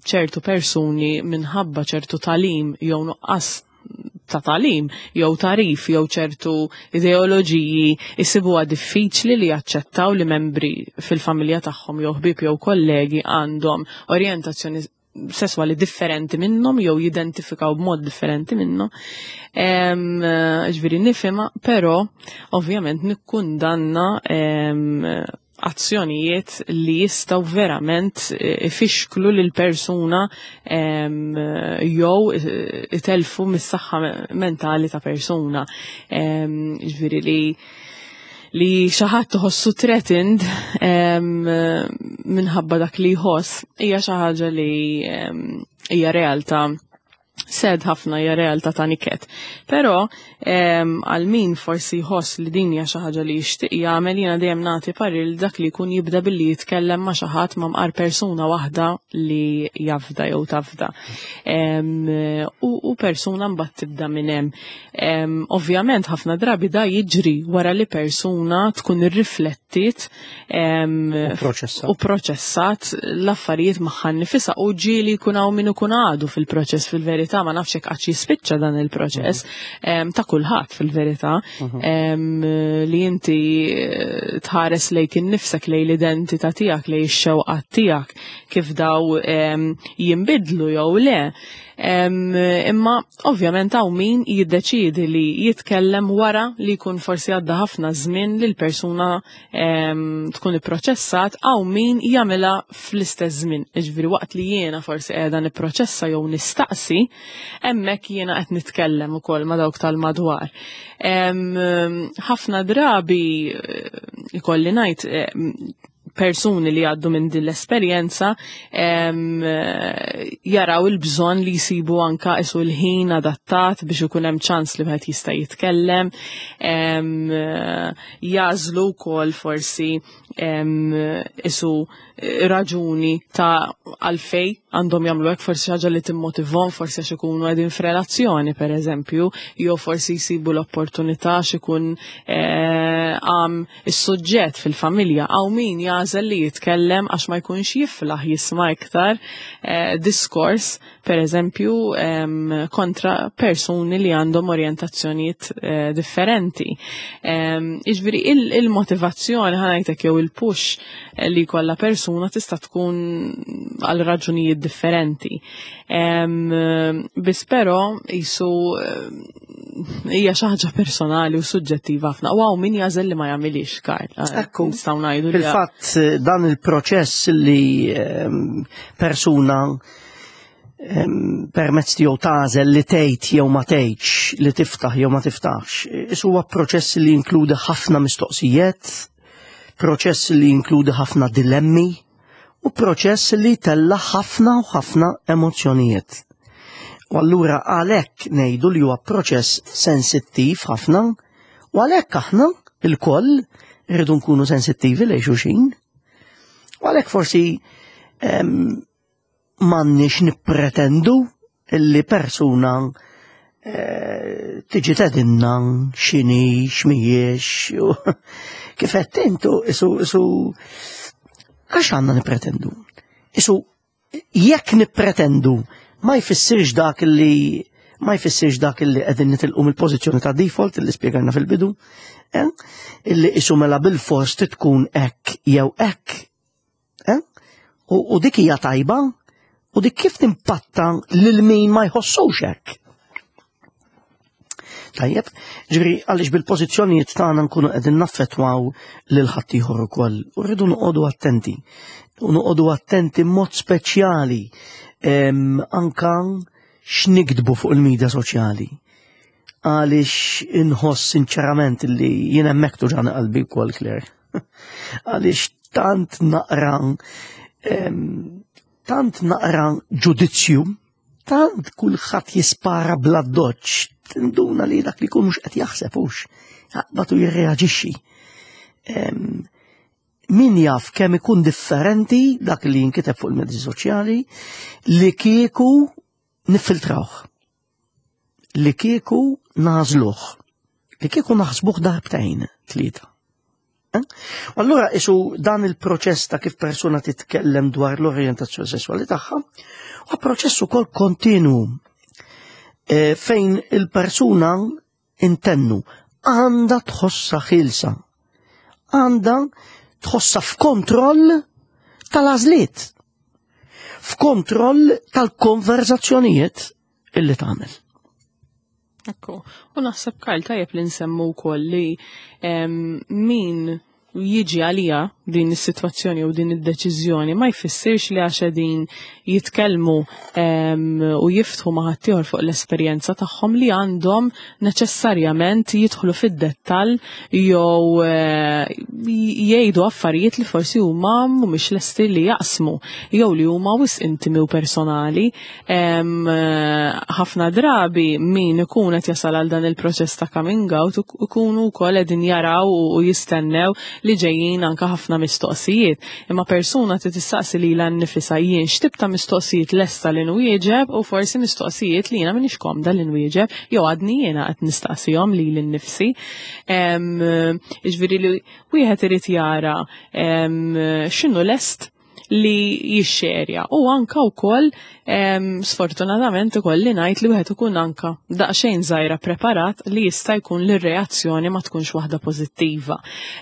B: ċertu persuni minħabba ċertu tagħlim jew nuqqas ta' tagħlim jew tagħrif jew ċertu ideoloġiji jsibuha diffiċli li jaċċettaw li membri fil-familja tagħhom jew ħbieb jew kollegi għandhom orjentazzjoni sesswali differenti minnhom jew jidentifikaw b'mod differenti minnhom. Em, Ġifieri nifhimha, però ovvjament nikkundanna em, azzjonijiet li jistgħu verament eh, ifixklu lil persuna em, jew eh, itelfu mis-saħħa mentali ta' persuna. Em, Ġifieri li li xi ħadd tħossu threatened em, minħabba dak li jħoss hija xi ħaġa li em, hija realtà Sad ħafna, hija realtà ta' niket. Però għal min forsi jħoss li din hija xi ħaġa li jixtieq jagħmel, jiena dejjem nagħti parir li dak li jkun jibda billi jitkellem ma' xi ħadd, ma' mqar persuna waħda li jafda jew tafda. U persuna mbagħad tibda minn hemm. Ovvjament ħafna drabi da jiġri wara li persuna tkun irriflettit u proċessat l-affarijiet magħha nnifisha, u ġieli jkun hawn min ikun għadu fil-proċess fil-verità, ma nafx hekk qatt jispiċċa dan il-proċess mhm. ta' kulħadd fil-verità, mhm. li inti eh, tħares lejk innifsek, lejn l-identità tiegħek, lejn ix-xewqat tiegħek, kif daw jinbidlu jew le. Imma ovvjament hawn min jiddeċiedi li jitkellem wara li jkun forsi għadda ħafna żmien li l-persuna tkun ipproċessat, hawn min jagħmilha fl-istess żmien. Jiġifieri waqt li jiena forsi qiegħda nipproċessa jew nistaqsi, hemmhekk jiena qed nitkellem ukoll ma' dawk tal-madwar. Ħafna drabi eh, ikolli ngħid, persuni li għaddu minn din l-esperjenza jaraw il-bżonn li jsibu anka isu l-ħin adattat biex ikun hemm ċans li wieħed jista' jitkellem, jagħżlu wkoll forsi isu raġuni ta' għalfej għandhom jagħmlu hekk, forsi ħaġa li timmotivhom, forsi għax ikunu qegħdin f'relazzjoni pereżempju, jew forsi jsibu l-opportunità għax ikun eh, għam is-suġġett fil-familja. Hawn min jagħżel li jitkellem għax ma jkunx jiflaħ jisma' iktar eh, diskors pereżempju kontra persuni li għandhom orjentazzjonijiet eh, differenti. Jiġifieri il-motivazzjoni, ħa ngħidlek, jew il-push li kollha persuna tista' tkun għal raġunijiet differenti. Biss però jisu hija xi ħaġa personali u suġġettiva ħafna. U hawn min jagħżel li ma jagħmilix, Karl.
A: Ekku.
B: Nistgħu ngħidu li
A: Fil-fatt dan il-proċess li persuna permezz tiegħu tagħżel li tgħid jew ma tgħidx, li tiftaħ jew ma tiftaħx, is huwa proċess li jinkludi ħafna mistoqsijiet, proċess li jinkludi ħafna dilemmi u proċess li tella ħafna u ħafna emozzjonijiet. U allura għalhekk ngħidu li huwa proċess sensittiv ħafna, u għalhekk aħna il-koll irridu nkunu sensittivi lejn xulxin. U għalhekk forsi m'għandniex nippretendu illi persuna eh, tiġi tgħidilna x'inhi, x'mhijiex, kif qed intu isu isu għax għandna nippretendu. Isu jekk nippretendu ma jfissirx dak li ma jfissirx dak li qegħdin nitilqu mill-pożizzjoni ta' default li spjegajna fil-bidu, eh? Illi isu mela bil-fors tkun hekk jew hekk. Eh? U, u dik hija tajba, u dik kif timpatta lil min ma jħossux hekk. Tajjeb, ġifieri għaliex bil-pożizzjonijiet tagħna nkunu qegħdin naffettwaw lil ħaddieħor ukoll. U rridu noqogħdu attenti. U noqogħdu attenti mod speċjali anka x'niktbu fuq il-medja soċjali. Għaliex inħoss sinċerament li jien hemmhekk tuġani qalbi wkoll, Claire. Għaliex tant naqra tant naqra ġudizzju, tant kulħadd jispara bla doċ, tinduna li dak li jkun mhux qed jaħseb hux, jaqbad u jirreaġixxi. Min jaf kemm ikun differenti dak li jinkiteb fuq il-mezzi soċjali li kieku niffiltrawh, li kieku nagħżluh, li kieku naħsbuh darbtejn, tlieta. Eh? U allura isu dan il-proċess ta' kif persuna titkellem dwar l-orjentazzjoni sessuali tagħha, huwa proċess ukoll kontinu eh, fejn il-persuna intennu għandha tħossha ħielsa, għandha tħossha f'kontroll tal-għażliet, f'kontroll tal-konverzazzjonijiet illi tagħmel.
B: Ekku, u naħseb, Karl, tajjeb li nsemmu wkoll li min Jiġi għalija din is-sitwazzjoni u din id-deċiżjoni ma jfissirx li għax qegħdin jitkellmu u jiftħu ma' ħaddieħor fuq l-esperjenza tagħhom li għandhom neċessarjament jidħlu fid-dettall jew eh, jgħidu affarijiet li forsi huma mhumiex lesti li jaqsmu jew li huma wisq intimi u personali. Ħafna drabi min ikun qed jasal għal dan il-proċess ta' coming out ikunu wkoll qegħdin jaraw u jistennew li ġejjin anka ħafna mistoqsijiet. Imma persuna trid tistaqsi lilha nnifisha: jien x'tip ta' mistoqsijiet lesta li nwieġeb u forsi mistoqsijiet li jiena m'iniex komda li nwieġeb jew għadni jiena qed nistaqsihom lili nnifsi? Jiġifieri li wieħed irid jara x'inhu lest li jixxerja u anka wkoll, sfortunatament, ikolli ngħid li wieħed ikun anka daqsxejn żgħira preparat li jista' jkun li r-reazzjoni ma tkunx waħda pożittiva.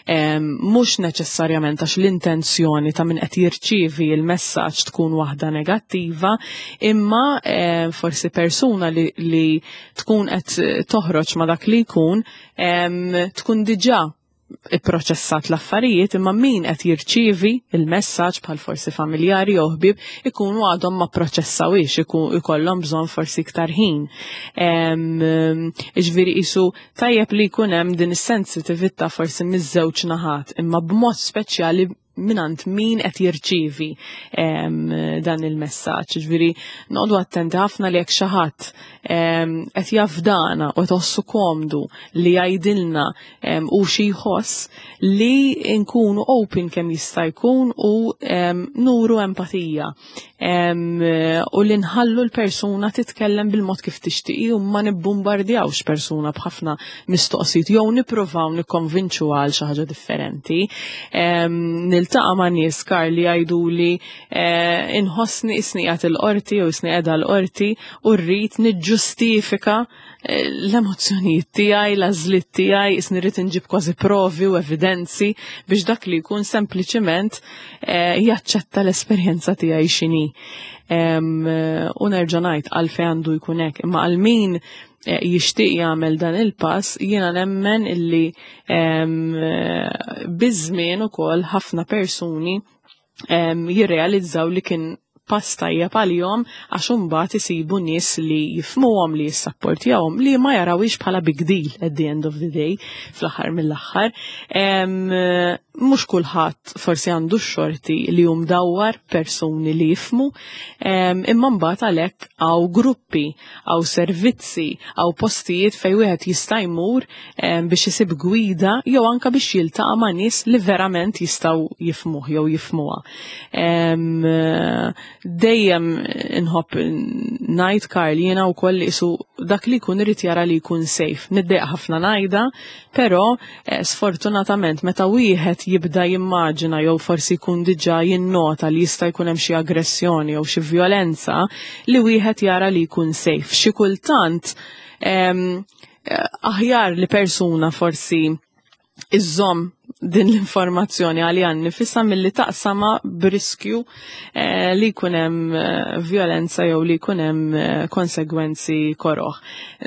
B: Mhux neċessarjament għax l-intenzjoni ta' min qed jirċievi il-messaġġ tkun waħda negattiva, imma forsi persuna li, li tkun qed toħroġ ma' dak li jkun tkun diġà ipproċessat l-affarijiet, imma min qed jirċievi il-messaġġ, bħal forsi familjari jew ħbieb, ikunu għadhom ma proċessawix, ikollhom bżonn forsi iktar ħin. Jiġifieri qisu tajjeb li jkun hemm din is-sensitività forsi miż-żewġ naħat, imma b'mod speċjali minant min qed jirċievi dan il-messaġġ. Ġifieri noqogħdu attenti ħafna li jekk xi ħadd qed jafdana u tħossu komdu li jgħidilna u xi jħoss, li nkunu open kemm jista' jkun u nuru empatija u li nħallu l-persuna titkellem bil-mod kif tixtieq u ma nibbombardjawx persuna b'ħafna mistoqsijiet jew nippruvaw nikkonvinċu għal xi ħaġa differenti. Niltaqa' ma' nies, Karl, li jgħidu li eh, inħossni qisni qiegħed il-qorti jew qisni qiegħda l-qorti u rrid niġġustifika eh, l-emozzjonijiet tiegħi, l-għażliet tiegħi, qisni rrid inġib kważi provi u evidenzi biex dak li jkun sempliċiment eh, jaċċetta l-esperjenza tiegħi x'inhi. U nerġa' ngħid, għalfejn għandu jkun hekk, imma għal min eh, jixtieq jagħmel dan il-pass, jiena nemmen illi biż-żmien ukoll ħafna persuni jirrealizzaw li kien pass tajjeb għalihom, għax imbagħad isibu nies li jifhmuhom, li jissapportjawhom, li ma jarawhiex bħala big deal at the end of the day, fl-aħħar mill-aħħar. Mhux kulħadd forsi għandu x-xorti li hu mdawwar persuni li jifhmu, imma mbagħad għalhekk hawn gruppi, hawn servizzi, hawn postijiet fejn wieħed jista' jmur biex isib gwida jew anka biex jiltaqa' ma' nies li verament jistgħu jifhmuh jew jifhmuha. Dejjem inħobb ngħid, Karl, jiena wkoll qisu dak li jkun irid jara li jkun safe. Niddejjaq ħafna ngħidha, però eh, sfortunatament meta wieħed jibda jimmaġina jew forsi jkun diġà jinnota li jista' jkun hemm xi aggressjoni jew xi violenza, li wieħed jara li jkun safe. Xi kultant eh, aħjar li persuna forsi iżżomm din l-informazzjoni għaliha nnifisha milli taqsamha b'riskju eh, li jkun hemm eh, violenza jew li jkun hemm eh, konsegwenzi koroħ.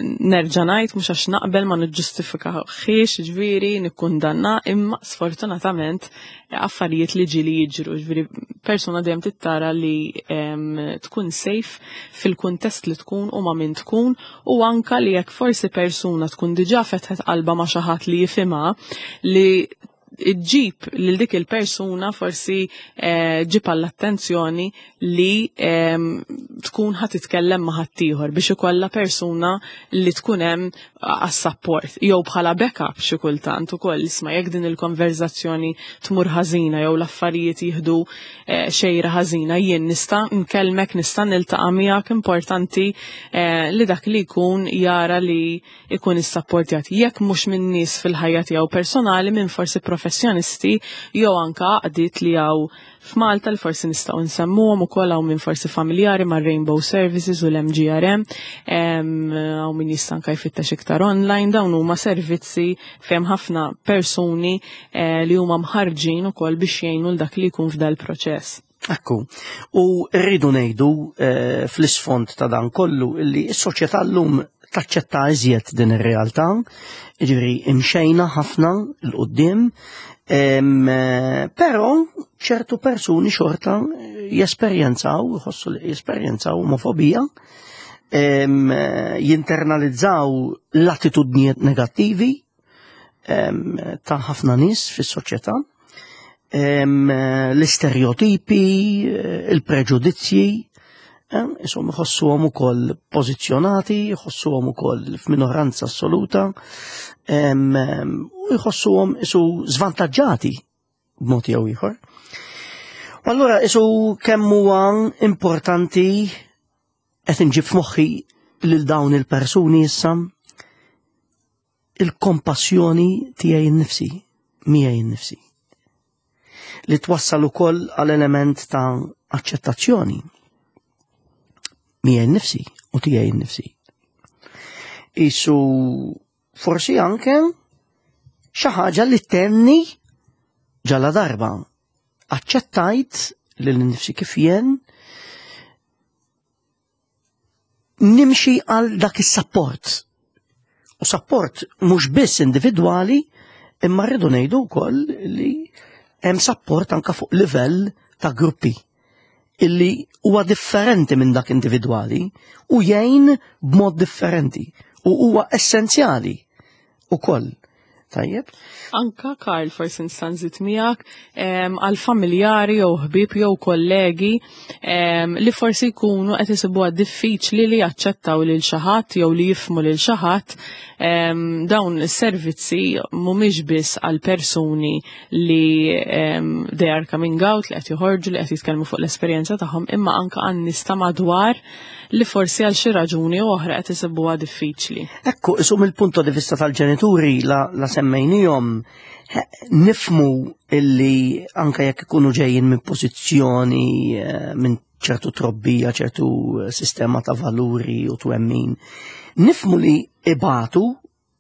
B: Nerġa' ngħid, mhux għax naqbel, ma niġġustifikahiex, ġifieri nikkundanna, imma sfortunatament affarijiet li ġieli jiġru, ġifieri persuna dejjem trid tara li tkun safe fil-kuntest li tkun u ma' min tkun, u anka li jekk forsi persuna tkun diġà fetħet qalba ma' xi ħadd li jifhimha, li ġġib lil dik il-persuna, forsi eh, ġib għall-attenzjoni li tkun ħa titkellem ma' ħaddieħor biex ikollha persuna li tkun hemm għas-support jew bħala backup xi kultant ukoll: isma', jekk din il-konverzazzjoni tmur ħażina jew l-affarijiet jieħdu eh, xejra ħażina, jien nista' nkellmek, nista' niltaqa' miegħek. Importanti eh, li dak li jkun jara li jkun issapportjat, jekk mhux minn nies fil-ħajja tiegħu personali, minn forsi professjonisti jew anka għaqdiet li hawn f'Malta li forsi nistgħu nsemmuhom ukoll. Hawn minn forsi familjari ma' Rainbow Services u l-M G R M, hawn min jista' anka jfittex iktar online. Dawn huma servizzi fejn ħafna persuni eh, li huma mħarġin ukoll biex jgħinu l dak li jkun f'dal proċess.
A: Ekku, u rridu ngħidu eh, fl-isfond ta' dan kollu illi s-soċjetà llum taċċetta iżjed din ir-realtà, jiġifieri imxejna ħafna 'l quddiem, però ċertu persuni xorta jesperjenzaw, jħossu li jesperjenzaw omofobija, jinternalizzaw l-attitudnijiet negattivi ta' ħafna nies fis-soċjetà, l-istereotipi, il-preġudizzji, insomma jħossuhom ukoll pożizzjonati, jħossuhom ukoll f'minoranza assoluta, u jħossuhom isu żvantaġġati b'mod jew ieħor. U allura isu kemm huwa importanti qed inġib f'moħħi lil dawn il-persuni issa il-kompassjoni tiegħi nnifsi, miegħi nnifsi. Li twassal ukoll għal element ta' aċċettazzjoni miegħi nnifsi u tiegħi nnifsi. Isu forsi anke xi ħaġa li tenni ġala darba aċċettajt lil nnifsi kif jien nimxi għal dak is-sapport. U sapport mhux biss individwali, imma rridu ngħidu wkoll li hemm sapport anke fuq livell ta' gruppi illi huwa differenti minn dak individwali u jgħin b'mod differenti u huwa essenzjali ukoll. Tajjeb?
B: Anka, Karl, forsi nista' nżid miegħek għal familjari jew ħbieb jew kollegi li forsi jkunu qed isibuha diffiċli li jaċċettaw lil xi ħadd jew li jifhmu lil xi ħadd. Dawn is-servizzi mhumiex biss għal persuni li they are coming out, li qed joħorġu, li qed jitkellmu fuq l-esperjenza tagħhom, imma anka għan nies ta' madwar li forsi għal xi raġuni oħra qed isibuha diffiċli.
A: Ekku, isu mill-punto di vista tal-ġenituri la, la semmejnihom, nifmu illi anka jekk ikunu ġejjin minn pożizzjoni minn ċertu trobbija, ċertu sistema ta' valuri u twemmin, nifmu li ibatu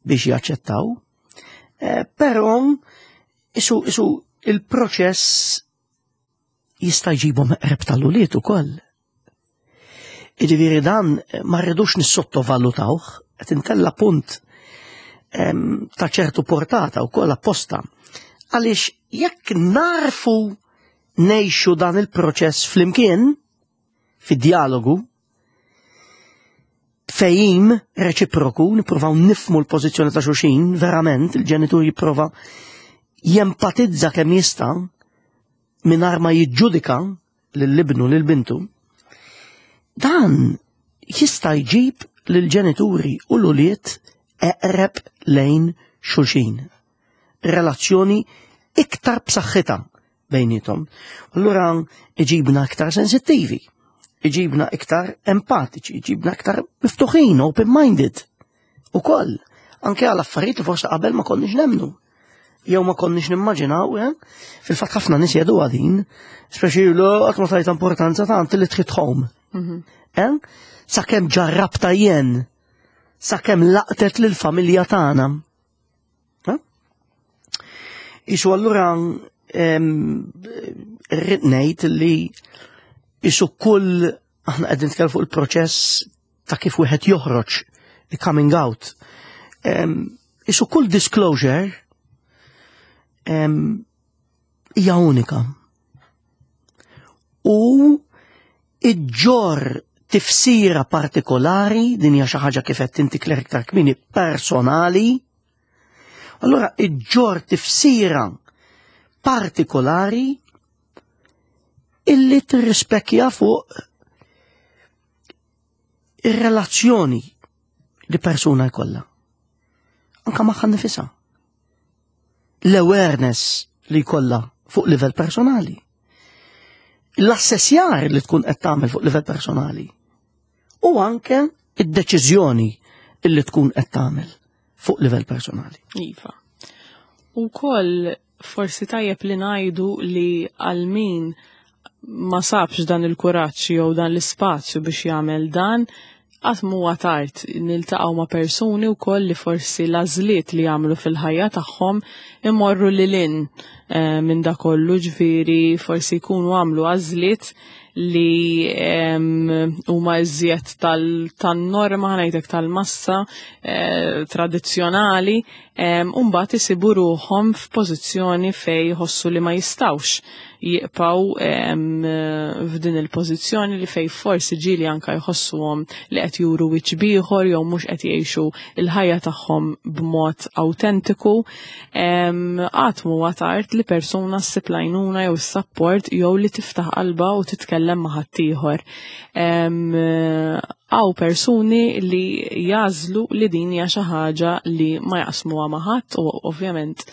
A: biex jaċċettaw, però isu, isu il-proċess jista' jġibhom eqreb tal-ulied ukoll. Jiġifieri dan ma rridux nissottovalutawh, qed intella punt ta' ċertu portata wkoll apposta. Għaliex jekk narfu ngħixu dan il-proċess flimkien, fid-dialogu, fejim reċiproku, nippruvaw nifmu l-pożizzjoni ta' xulxin, verament, il-ġenitur jipprova jempatizza kemm jista' mingħajr ma jiġġudika lil-ibnu lil bintu, dan jista' jġib lill-ġenituri u l-ulied eqreb lejn xulxin. Relazzjoni iktar b'saħħitha bejnietom. Allura iġibna iktar sensittivi, iġibna iktar empatiċi, iġibna iktar miftuħin, open-minded. Ukoll, anke għal affarijiet li forsi qabel ma konniex nemnu. Jew ma konniex nimmaġinaw, eh? Fil-fatt ħafna nies jgħidu din, speċi l qatt ma tajt importanza ta' until it hit home. Eh? Sakemm ġarrabta jien, sakemm laqtet lill-familja tagħna. Eh? Isu allura rrid ngħid li isu kull aħna qegħdin nitkellmu fuq il-proċess ta' kif wieħed joħroġ, il-coming out. Isu kull disclosure hija unika. U iġġor tifsira partikolari, din hija xi ħaġa kif qed inti Claire iktar kmieni personali. Allura iġġor tifsira partikolari illi tirrispekja fuq ir-relazzjoni li persuna jkollha. Anka magħha nifisha. L-awareness li jkollha fuq livell personali. L-assessjar li tkun qed tagħmel fuq livell personali. U anke id-deċiżjoni illi tkun qed tagħmel fuq livell personali.
B: Iva. U koll forsi tajjeb li ngħidu li għal min ma sabx dan il-kuraġġ jew dan l-ispazju biex jagħmel dan, Qatt huwa tard. Niltaqgħu ma' persuni wkoll li forsi l-għażliet li jagħmlu fil-ħajja tagħhom imorru lil hinn eh, minn da kollu, ġifieri forsi jkunu għamlu għażliet li huma iżjed tan-norma, ngħidlek, tal-massa eh, tradizzjonali, u mbagħad isibu ruħhom f'pożizzjoni fejn jħossu li ma jistgħux jibqgħu f'din il-pożizzjoni, li fejn forsi ġieli anka jħossuhom li qed juru wiċċ b'ieħor jew mhux qed jgħixu il-ħajja tagħhom b'mod autentiku. Qatt huwa tard li persuna ssib l-għajnuna jew is-support jew li tiftaħ qalba u titkellem ma' ħaddieħor. Hawn persuni li jagħżlu li din hija xi ħaġa li ma jaqsmuha ma' ħadd u ovvjament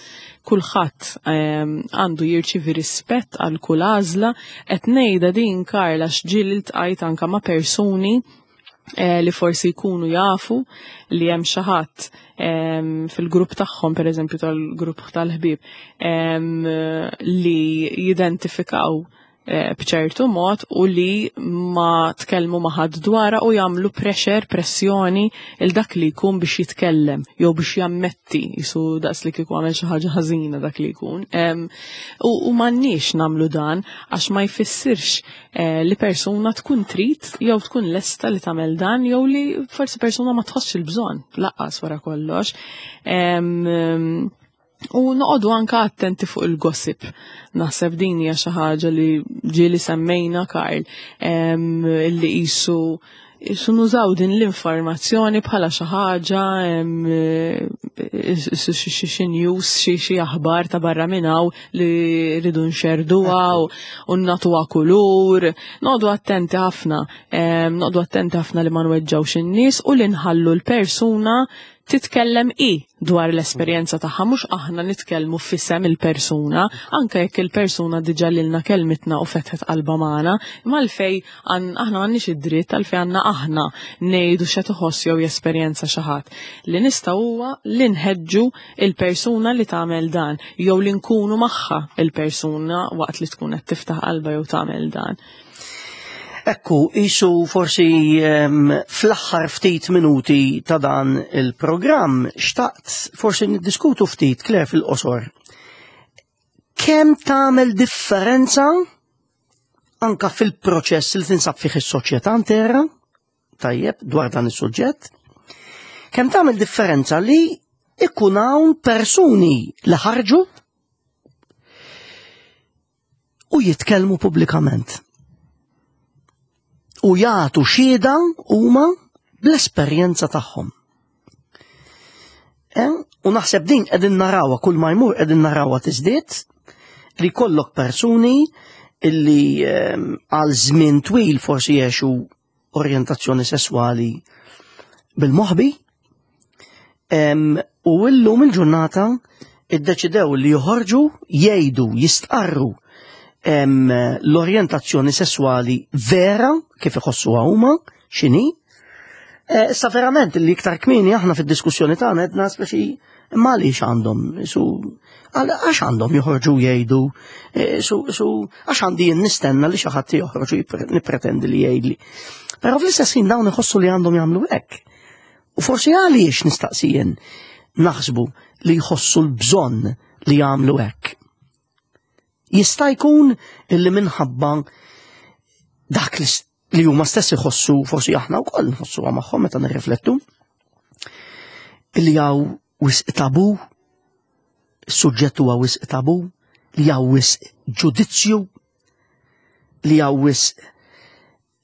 B: kulħadd għandu jirċivi rispett għal kull għażla. Qed ngħidha din, Karla, ġieli ltqajt anka ma' persuni eh, li forsi jkunu jafu li hemm xi ħadd fil-grupp tagħhom, pereżempju tal-grupp tal-ħbieb, li jidentifikaw eh, b'ċertu mod u li ma tkellmu ma' ħadd dwarha u jagħmlu pressure, pressjoni il dak li jkun biex jitkellem jew biex jammetti, jisu daqs li kieku għamel xi ħaġa ħażina dak li jkun. U, u m'għandniex nagħmlu dan għax ma jfissirx eh, li persuna tkun trid jew tkun lesta li tagħmel dan jew li forsi persuna ma tħossx il-bżonn lanqas wara kollox. Em, U noqogħdu anka attenti fuq il-gossip. Naħseb din hija xi ħaġa li ġieli semmejna, Karl, em, li qisu qisu nużaw din l-informazzjoni bħala xi ħaġa, em, xi xi xi news, xi xi aħbar ta' barra minn hawn li rridu nxerduha u u nagħtuha kulur. Noqogħdu attenti ħafna, em, noqogħdu attenti ħafna li ma nweġġawx in-nies u li nħallu l-persuna titkellem i dwar l-esperjenza tagħha, mhux aħna nitkellmu f'isem il-persuna, anke jekk il-persuna diġà lilna kelmitna u fetħet qalba magħna, imma għalfejn aħna m'għandniex id-dritt, għalfejn għandna aħna ngħidu x'qed iħoss jew jesperjenza xi ħadd. Li nistgħu huwa li nħeġġu il-persuna li tagħmel dan jew li nkunu magħha il-persuna waqt li tkun qed tiftaħ qalba jew tagħmel dan.
A: Ekku, isu forsi um, fl-aħħar ftit minuti ta' dan il-programm, xtaqt forsi niddiskutu ftit, Claire, fil-qosor. Kemm tagħmel differenza anka fil-proċess li tinsab fih is-soċjetà intera, tajjeb, dwar dan is-suġġett, kemm tagħmel differenza li ikun hawn persuni li ħarġu u jitkellmu pubblikament u jagħtu xhieda huma bl-esperjenza tagħhom? Eh? U naħseb din qegħdin narawha kull ma jmur, qegħdin narawha tiżdied, li kollok persuni illi ehm, għal żmien twil forsi jgħixu orjentazzjoni sesswali bil-moħbi em, u illum il-ġurnata iddeċidew li joħorġu jgħidu, jistqarru em, l-orjentazzjoni sesswali vera kif iħossuha huma x'inhi. Eh, Issa verament li iktar kmieni aħna fid-diskussjoni tagħna għedna speċi imma għaliex għandhom su għax għandhom joħorġu jgħidu, eh, su su għax għandi jien nistenna li xi ħadd joħroġ u jipre- nippretendi li jgħidli? Però fl-istess ħin dawn iħossu li għandhom jagħmlu hekk. U forsi għaliex, nistaqsijien, naħsbu li jħossu l-bżonn li jagħmlu hekk? Jista' jkun illi minħabba dak li s- li huma stess iħossu, forsi aħna wkoll nħossuha magħhom meta nirriflettu, illi hawn wisq tabu, is-suġġett huwa wisq tabu, li hawn wisq ġudizzju, li hawn wisq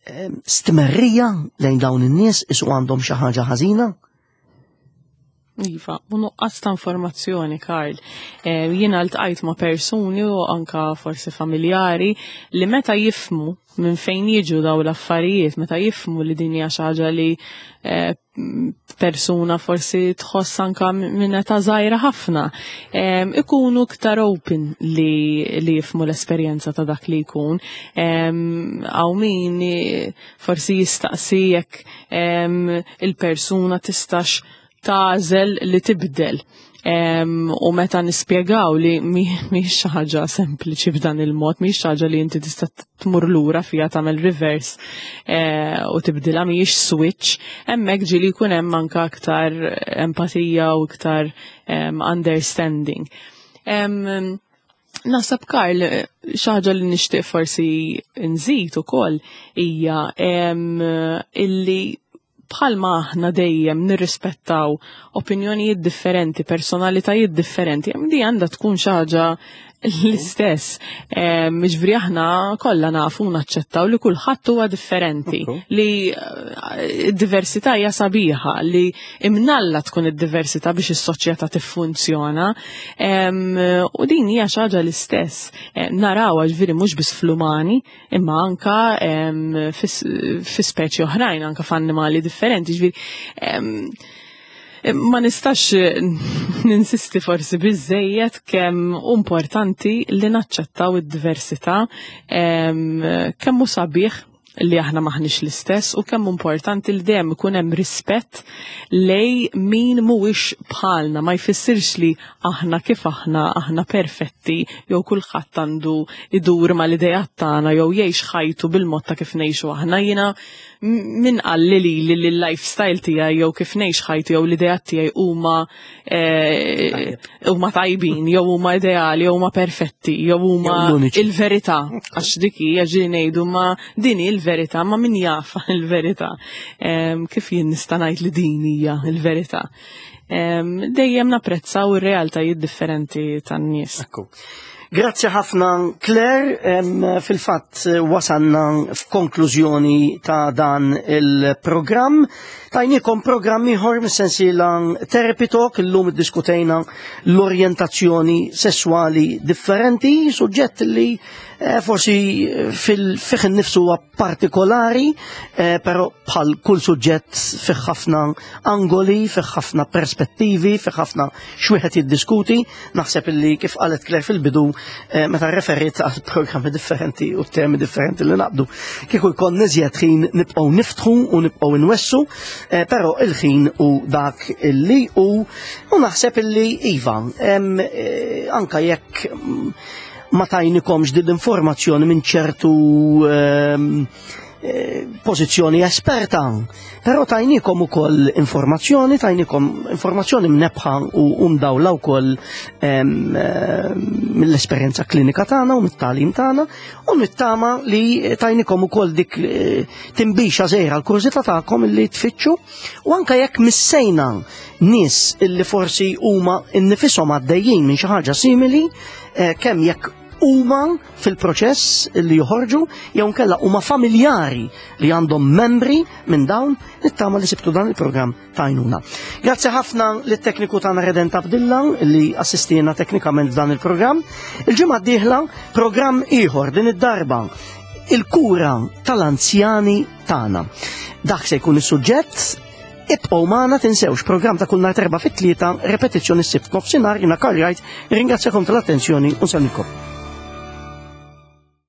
A: em, stmerrija lejn dawn in-nies, isu għandhom xi ħaġa ħażina.
B: Iva, u nuqqas ta' informazzjoni, Karl. Eh, jiena ltqajt ma' persuni u anka forsi familjari li meta jifhmu minn fejn jiġu daw l-affarijiet, meta jifhmu li din hija xi ħaġa li eh, persuna forsi tħoss anka minn età żgħira ħafna, em, ikunu iktar open li, li jifhmu l-esperjenza ta' dak li jkun. Em, Hawn min eh, forsi jistaqsi jekk em, il-persuna tistax tagħżel li tibdel. U meta nispjegaw li mhix xi ħaġa sempliċi b'dan il-mod, mhix xi ħaġa li inti tista' tmur lura fiha tagħmel reverse eh, u tibdilha mhijiex switch, hemmhekk ġieli jkun hemm anke aktar empatija u iktar understanding. Naħseb Karl, xi ħaġa li nixtieq forsi nżid ukoll hija illi bħalma aħna dejjem nirrispettaw opinjonijiet differenti, personalitajiet differenti, di għandha tkun xi ħaġa l-istess. Jiġifieri aħna kollha nafu naċċettaw li kulħadd huwa differenti, li eh, d-diversità hija sabiħa, li imnalla tkun id-diversità biex is-soċjetà tiffunzjona. U din hija xi ħaġa l-istess. Eh, narawha ġifieri mhux biss fl-umani, imma anka fi speċi oħrajn, anka f'annimali differenti. Ġifieri ma nistax ninsisti forsi biżejjed kemm importanti li naċċettaw id-diversità, kemm hu sabiħ li aħna maħniex l-istess u kemm importanti li dejjem ikun hemm rispett lej min mhuwiex bħalna, ma jfissirx li aħna kif aħna aħna perfetti jew kulħadd għandu idur mal-idejat tagħna jew jgħix ħajtu bil-mod ta' kif ngħixu aħna. Jiena min qalli li li l-lifestyle tiegħi jew kif ngħix ħajti jew l-idejat tiegħi huma eh, huma tajbin jew huma ideali jew huma perfetti jew huma il-verità, għax dik hija ġieli ngħidu ma din hi l-verità, ma min jafa il-verità. Kif jien nista' ngħid li din hija l-verità? Dejjem napprezzaw ir-realtajiet differenti tan-nies.
A: Ekku. Grazzi ħafna Claire, fil-fatt wasanna f'konklużjoni ta' dan il-programm. Tajnikom programm ieħor mis-sensiela Therapy Talk, illum iddiskutejna l-orjentazzjoni sessuali differenti, suġġett li eh, forsi fil-fih innifsu huwa partikolari, eh, però bħal kull suġġett fih ħafna angoli, fih ħafna perspettivi, fih ħafna x'wieħed jiddiskuti. Naħseb illi kif qalet Claire fil-bidu, eh, meta referit għal programmi differenti u temi differenti li naqbdu. Kieku jkun iżjed ħin nibqgħu niftħu u nibqgħu nwessu, eh, però il-ħin u dak illi u u naħseb illi iva, em, eh, anka jekk mm, ma tajnikomx din l-informazzjoni minn ċertu ehm, eh, pożizzjoni esperta, però tajnikom ukoll informazzjoni, tajnikom informazzjoni mnebbħa u mdawla wkoll ehm, eh, mill-esperjenza klinika tagħna u mit-tagħlim tagħna, u nittama li tajnikom ukoll dik eh, tinbixa żgħira l-kurżità tagħkom illi tfittxu, u anke jekk missejna nies illi forsi huma nnifisom għaddejjin minn xi ħaġa simili, eh, kemm jekk huma fil-proċess li joħorġu jew nkella huma familjari li għandhom membri minn dawn, nittama li sibtu dan il-programm tajnuna. Grazzi ħafna lit-tekniku tagħna Redent Abdilla li assistina teknikament f'dan il-programm. Il-ġimgħa d-dieħla programm ieħor, din id-darba il-kura tal-anzjani tagħna. Dak se jkun is-suġġett. Ibqgħu magħna, tinsewx programm ta' kull nhar terba' fit-tlieta, repetizzjoni s-sibt nofsinhar. Jiena Karl Wright, ringrazzjakom tal-attenzjoni u nsellmilkom.